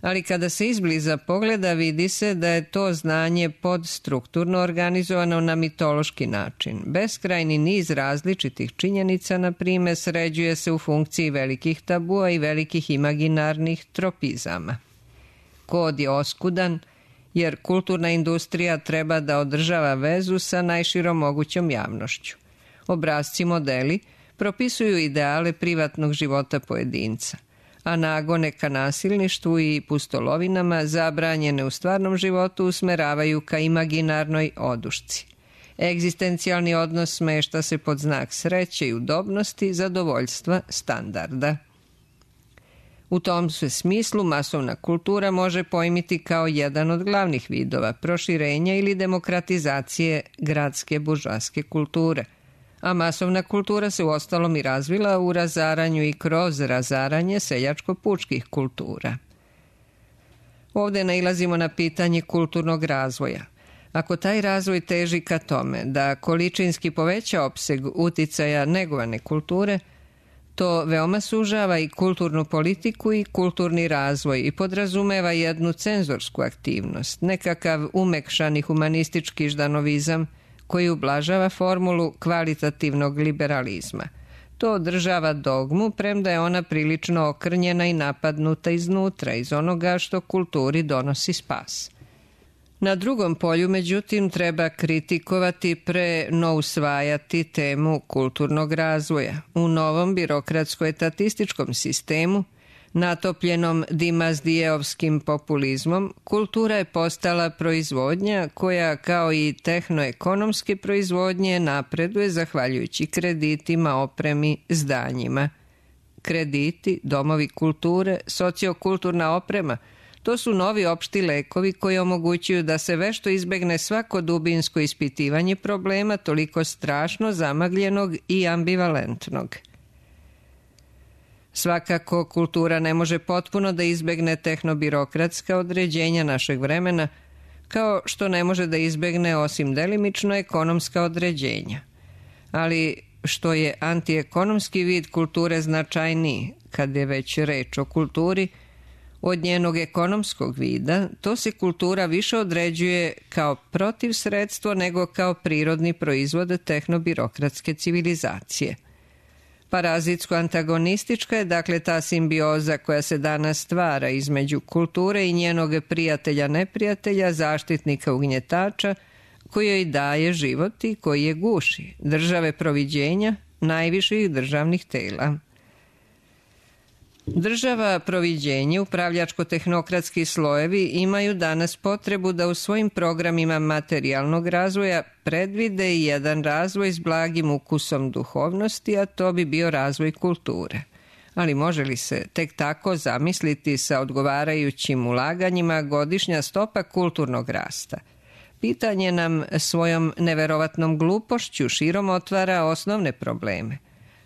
[SPEAKER 1] Ali kada se izbliza pogleda, vidi se da je to znanje podstrukturno organizovano na mitološki način. Beskrajni niz različitih činjenica, na primjer, sređuje se u funkciji velikih tabua i velikih imaginarnih tropizama. Kod je oskudan, jer kulturna industrija treba da održava vezu sa najširom mogućom javnošću. Obrasci modeli propisuju ideale privatnog života pojedinca, a nagone ka nasilništvu i pustolovinama zabranjene u stvarnom životu usmeravaju ka imaginarnoj odušci. Egzistencijalni odnos smešta se pod znak sreće i udobnosti, zadovoljstva, standarda. U tom se smislu masovna kultura može pojmiti kao jedan od glavnih vidova proširenja ili demokratizacije gradske buržoaske kulture, a masovna kultura se uostalom i razvila u razaranju i kroz razaranje seljačko-pučkih kultura. Ovde nailazimo na pitanje kulturnog razvoja. Ako taj razvoj teži ka tome da količinski poveća opseg uticaja negovane kulture, to veoma sužava i kulturnu politiku i kulturni razvoj i podrazumeva jednu cenzorsku aktivnost, nekakav umekšani humanistički ždanovizam koji ublažava formulu kvalitativnog liberalizma. To održava dogmu, premda je ona prilično okrnjena i napadnuta iznutra, iz onoga što kulturi donosi spas. Na drugom polju, međutim, treba kritikovati pre no usvajati temu kulturnog razvoja. U novom birokratsko-etatističkom sistemu, natopljenom dimazdijeovskim populizmom, kultura je postala proizvodnja koja, kao i tehnoekonomske proizvodnje, napreduje zahvaljujući kreditima, opremi, zdanjima. Krediti, domovi kulture, sociokulturna oprema, to su novi opšti lekovi koji omogućuju da se vešto izbegne svako dubinsko ispitivanje problema toliko strašno zamagljenog i ambivalentnog. Svakako, kultura ne može potpuno da izbegne tehnobirokratska određenja našeg vremena, kao što ne može da izbegne osim delimično ekonomska određenja. Ali što je antiekonomski vid kulture značajniji, kad je već reč o kulturi, od njenog ekonomskog vida, to se kultura više određuje kao protivsredstvo nego kao prirodni proizvod tehnobirokratske civilizacije. Parazitsko-antagonistička je dakle ta simbioza koja se danas stvara između kulture i njenog prijatelja-neprijatelja, zaštitnika ugnjetača, koji joj daje život i koji je guši, države proviđenja, najviših državnih tela. Država, proviđenje, upravljačko-tehnokratski slojevi imaju danas potrebu da u svojim programima materijalnog razvoja predvide i jedan razvoj s blagim ukusom duhovnosti, a to bi bio razvoj kulture. Ali može li se tek tako zamisliti sa odgovarajućim ulaganjima godišnja stopa kulturnog rasta? Pitanje nam svojom neverovatnom glupošću širom otvara osnovne probleme.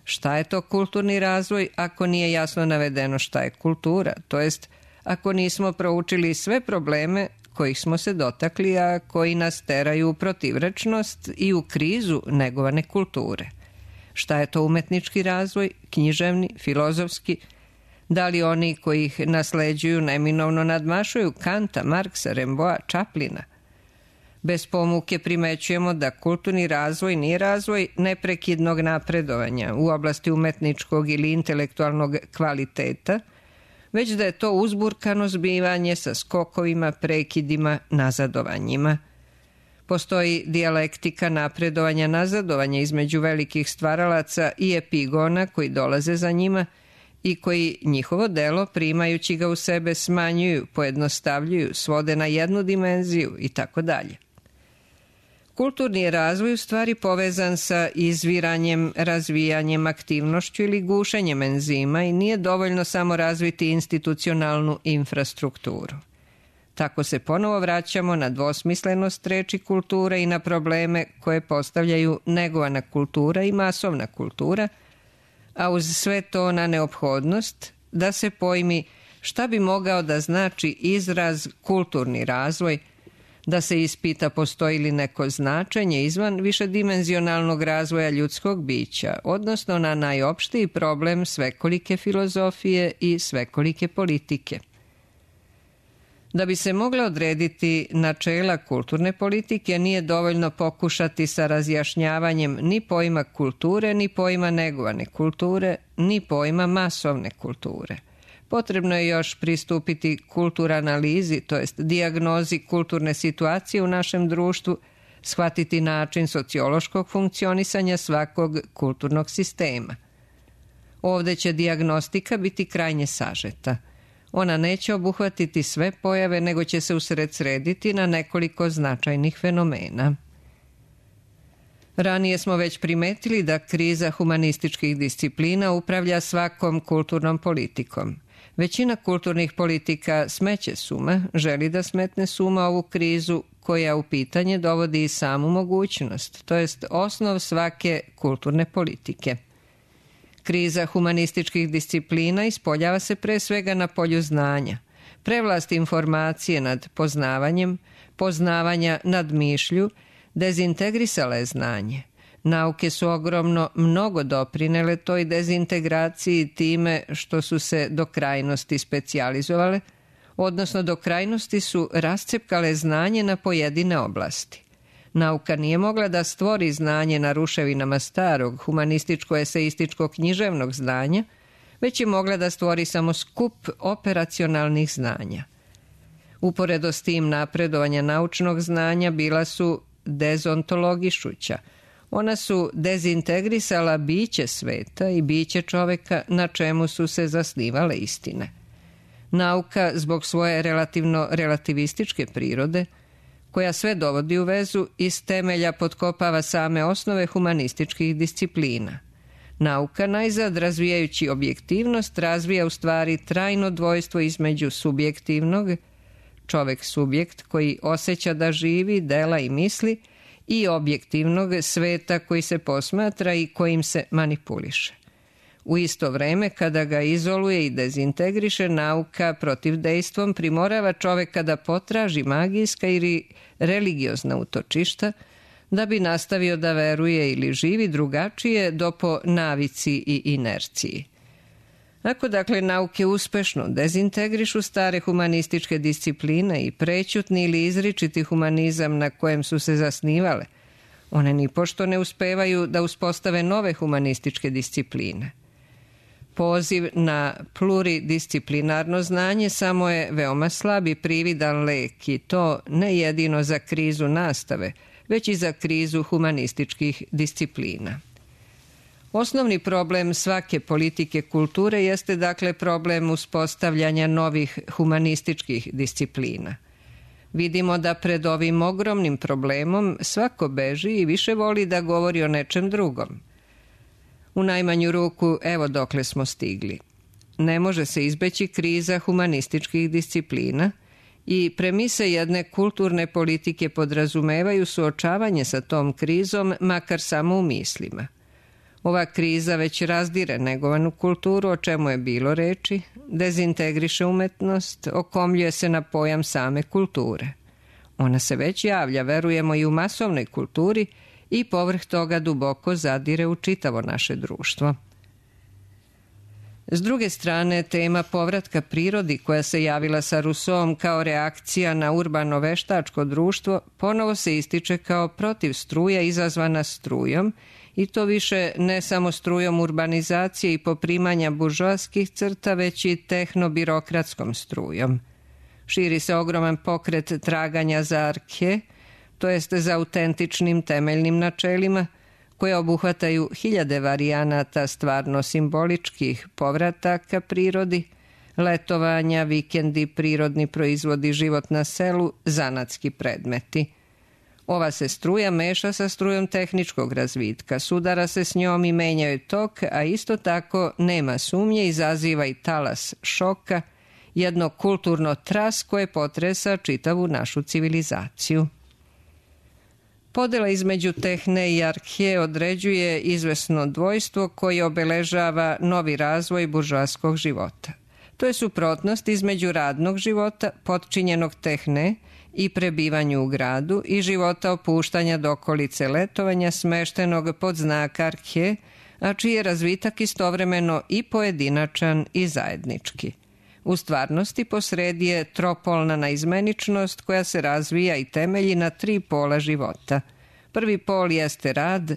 [SPEAKER 1] Šta je to kulturni razvoj ako nije jasno navedeno šta je kultura, to jest ako nismo proučili sve probleme kojih smo se dotakli, a koji nas teraju u protivrečnost i u krizu negovane kulture. Šta je to umetnički razvoj, književni, filozofski, da li oni koji ih nasleđuju neminovno nadmašuju Kanta, Marksa, Remboa, Čaplina? Bez pomuke primećujemo da kulturni razvoj nije razvoj neprekidnog napredovanja u oblasti umetničkog ili intelektualnog kvaliteta, već da je to uzburkano zbivanje sa skokovima, prekidima, nazadovanjima. Postoji dijalektika napredovanja, nazadovanja između velikih stvaralaca i epigona koji dolaze za njima i koji njihovo delo, primajući ga u sebe, smanjuju, pojednostavljuju, svode na jednu dimenziju i tako dalje. Kulturni je razvoj u stvari povezan sa izviranjem, razvijanjem, aktivnošću ili gušenjem enzima i nije dovoljno samo razviti institucionalnu infrastrukturu. Tako se ponovo vraćamo na dvosmislenost reči kulture i na probleme koje postavljaju negovana kultura i masovna kultura, a uz sve to na neophodnost da se pojmi šta bi mogao da znači izraz kulturni razvoj, da se ispita postoji li neko značenje izvan višedimenzionalnog razvoja ljudskog bića, odnosno na najopštiji problem svekolike filozofije i svekolike politike. Da bi se mogla odrediti načela kulturne politike, nije dovoljno pokušati sa razjašnjavanjem ni pojma kulture, ni pojma negovane kulture, ni pojma masovne kulture. Potrebno je još pristupiti kulturanalizi, to jest dijagnozi kulturne situacije u našem društvu, shvatiti način sociološkog funkcionisanja svakog kulturnog sistema. Ovde će dijagnostika biti krajnje sažeta. Ona neće obuhvatiti sve pojave, nego će se usredsrediti na nekoliko značajnih fenomena. Ranije smo već primetili da kriza humanističkih disciplina upravlja svakom kulturnom politikom. Većina kulturnih politika smeće suma, želi da smetne suma ovu krizu koja u pitanje dovodi i samu mogućnost, to jest osnov svake kulturne politike. Kriza humanističkih disciplina ispoljava se pre svega na polju znanja, prevlast informacije nad poznavanjem, poznavanja nad mišlju, dezintegrisala je znanje. Nauke su ogromno mnogo doprinele toj dezintegraciji time što su se do krajnosti specijalizovale, odnosno do krajnosti su rascepkale znanje na pojedine oblasti. Nauka nije mogla da stvori znanje na ruševinama starog humanističko-eseističko-književnog znanja, već je mogla da stvori samo skup operacionalnih znanja. Uporedo s tim napredovanja naučnog znanja bila su dezontologišuća. Ona su dezintegrisala biće sveta i biće čoveka na čemu su se zasnivale istine. Nauka, zbog svoje relativno relativističke prirode, koja sve dovodi u vezu, iz temelja potkopava same osnove humanističkih disciplina. Nauka, najzad razvijajući objektivnost, razvija u stvari trajno dvojstvo između subjektivnog, čovek subjekt koji osjeća da živi, dela i misli, i objektivnog sveta koji se posmatra i kojim se manipuliše. U isto vreme, kada ga izoluje i dezintegriše, nauka protivdejstvom primorava čoveka da potraži magijska ili religiozna utočišta, da bi nastavio da veruje ili živi drugačije do po navici i inerciji. Ako dakle nauke uspešno dezintegrišu stare humanističke discipline i prećutni ili izričiti humanizam na kojem su se zasnivale, one nipošto ne uspevaju da uspostave nove humanističke discipline. Poziv na pluridisciplinarno znanje samo je veoma slab i prividan lek, i to ne jedino za krizu nastave, već i za krizu humanističkih disciplina. Osnovni problem svake politike kulture jeste dakle problem uspostavljanja novih humanističkih disciplina. Vidimo da pred ovim ogromnim problemom svako beži i više voli da govori o nečem drugom. U najmanju ruku, evo dokle smo stigli. Ne može se izbeći kriza humanističkih disciplina i premise jedne kulturne politike podrazumevaju suočavanje sa tom krizom, makar samo u mislima. Ova kriza već razdire negovanu kulturu, o čemu je bilo reči, dezintegriše umetnost, okomljuje se na pojam same kulture. Ona se već javlja, verujemo, i u masovnoj kulturi i povrh toga duboko zadire u čitavo naše društvo. S druge strane, tema povratka prirodi koja se javila sa Rousseauom kao reakcija na urbano-veštačko društvo ponovo se ističe kao protiv struja izazvana strujom, i to više ne samo strujom urbanizacije i poprimanja buržoaskih crta, već i tehnobirokratskom strujom. Širi se ogroman pokret traganja za arhe, to jest za autentičnim temeljnim načelima, koje obuhvataju hiljade varijanata stvarno simboličkih povrataka prirodi, letovanja, vikendi, prirodni proizvodi, život na selu, zanatski predmeti. Ova se struja meša sa strujom tehničkog razvitka, sudara se s njom i menja joj tok, a isto tako, nema sumnje, izaziva i talas šoka, jedno kulturno tras koje potresa čitavu našu civilizaciju. Podela između tehne i arhe određuje izvesno dvojstvo koje obeležava novi razvoj buržoaskog života. To je suprotnost između radnog života, potčinjenog tehne, i prebivanju u gradu, i života opuštanja do okolice letovanja smeštenog pod znak arhe, a čiji je razvitak istovremeno i pojedinačan i zajednički. U stvarnosti posredi je tropolna naizmeničnost koja se razvija i temelji na tri pola života. Prvi pol jeste rad,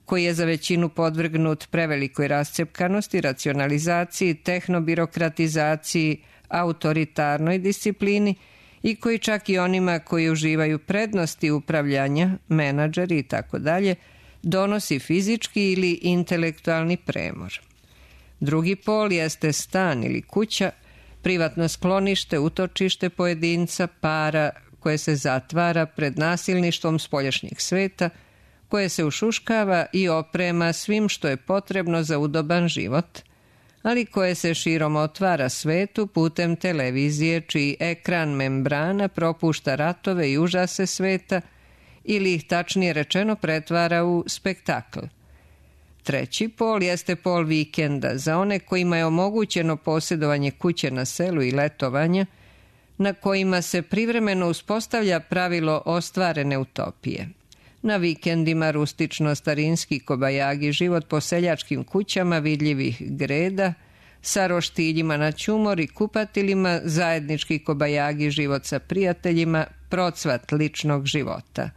[SPEAKER 1] koji je za većinu podvrgnut prevelikoj rascepkanosti, racionalizaciji, tehnobirokratizaciji, autoritarnoj disciplini, i koji čak i onima koji uživaju prednosti upravljanja, menadžeri i tako dalje, donosi fizički ili intelektualni premor. Drugi pol jeste stan ili kuća, privatno sklonište, utočište pojedinca, para koje se zatvara pred nasilništvom spoljašnjeg sveta, koje se ušuškava i oprema svim što je potrebno za udoban život, ali koje se širom otvara svetu putem televizije, čiji ekran membrana propušta ratove i užase sveta ili ih tačnije rečeno pretvara u spektakl. Treći pol jeste pol vikenda za one kojima je omogućeno posjedovanje kuće na selu i letovanja, na kojima se privremeno uspostavlja pravilo ostvarene utopije. Na vikendima rustično-starinski kobajagi život po seljačkim kućama vidljivih greda, sa roštiljima na ćumor i kupatilima, zajednički kobajagi život sa prijateljima, procvat ličnog života.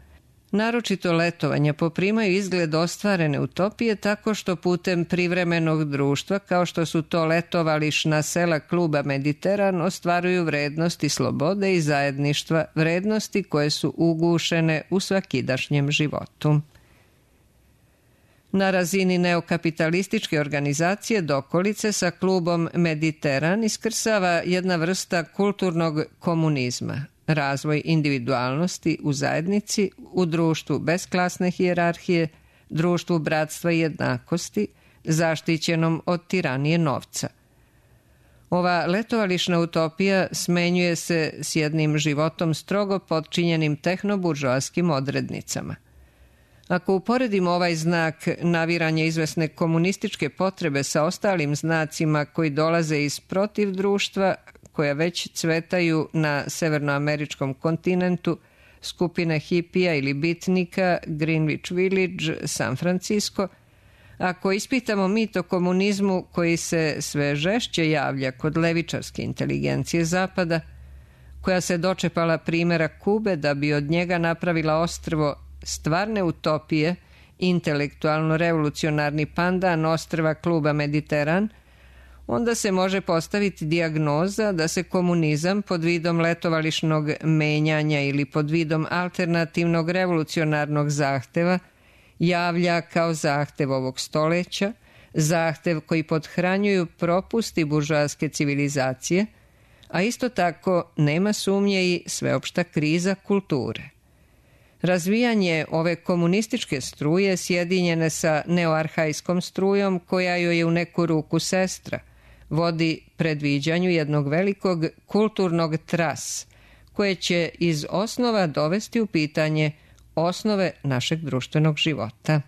[SPEAKER 1] Naročito letovanja poprimaju izgled ostvarene utopije tako što putem privremenog društva, kao što su to letovališna sela kluba Mediteran, ostvaruju vrednosti slobode i zajedništva, vrednosti koje su ugušene u svakidašnjem životu. Na razini neokapitalističke organizacije dokolice sa klubom Mediteran iskrsava jedna vrsta kulturnog komunizma, razvoj individualnosti u zajednici, u društvu bez klasne hijerarhije, društvu bratstva i jednakosti, zaštićenom od tiranije novca. Ova letovališna utopija smenjuje se s jednim životom strogo podčinjenim tehnoburžoaskim odrednicama. Ako uporedimo ovaj znak naviranja izvesne komunističke potrebe sa ostalim znacima koji dolaze iz protiv društva, koja već cvetaju na severnoameričkom kontinentu, skupine hipija ili bitnika, Greenwich Village, San Francisco, ako ispitamo mit o komunizmu koji se sve žešće javlja kod levičarske inteligencije Zapada, koja se dočepala primjera Kube da bi od njega napravila ostrvo stvarne utopije, intelektualno-revolucionarni pandan ostrva kluba Mediteran, onda se može postaviti dijagnoza da se komunizam pod vidom letovališnog menjanja ili pod vidom alternativnog revolucionarnog zahteva javlja kao zahtev ovog stoleća, zahtev koji pothranjuju propusti buržoaske civilizacije, a isto tako nema sumnje i sveopšta kriza kulture. Razvijanje ove komunističke struje sjedinjene sa neoarhajskom strujom, koja joj je u neku ruku sestra, vodi predviđanju jednog velikog kulturnog tras, koje će iz osnova dovesti u pitanje osnove našeg društvenog života.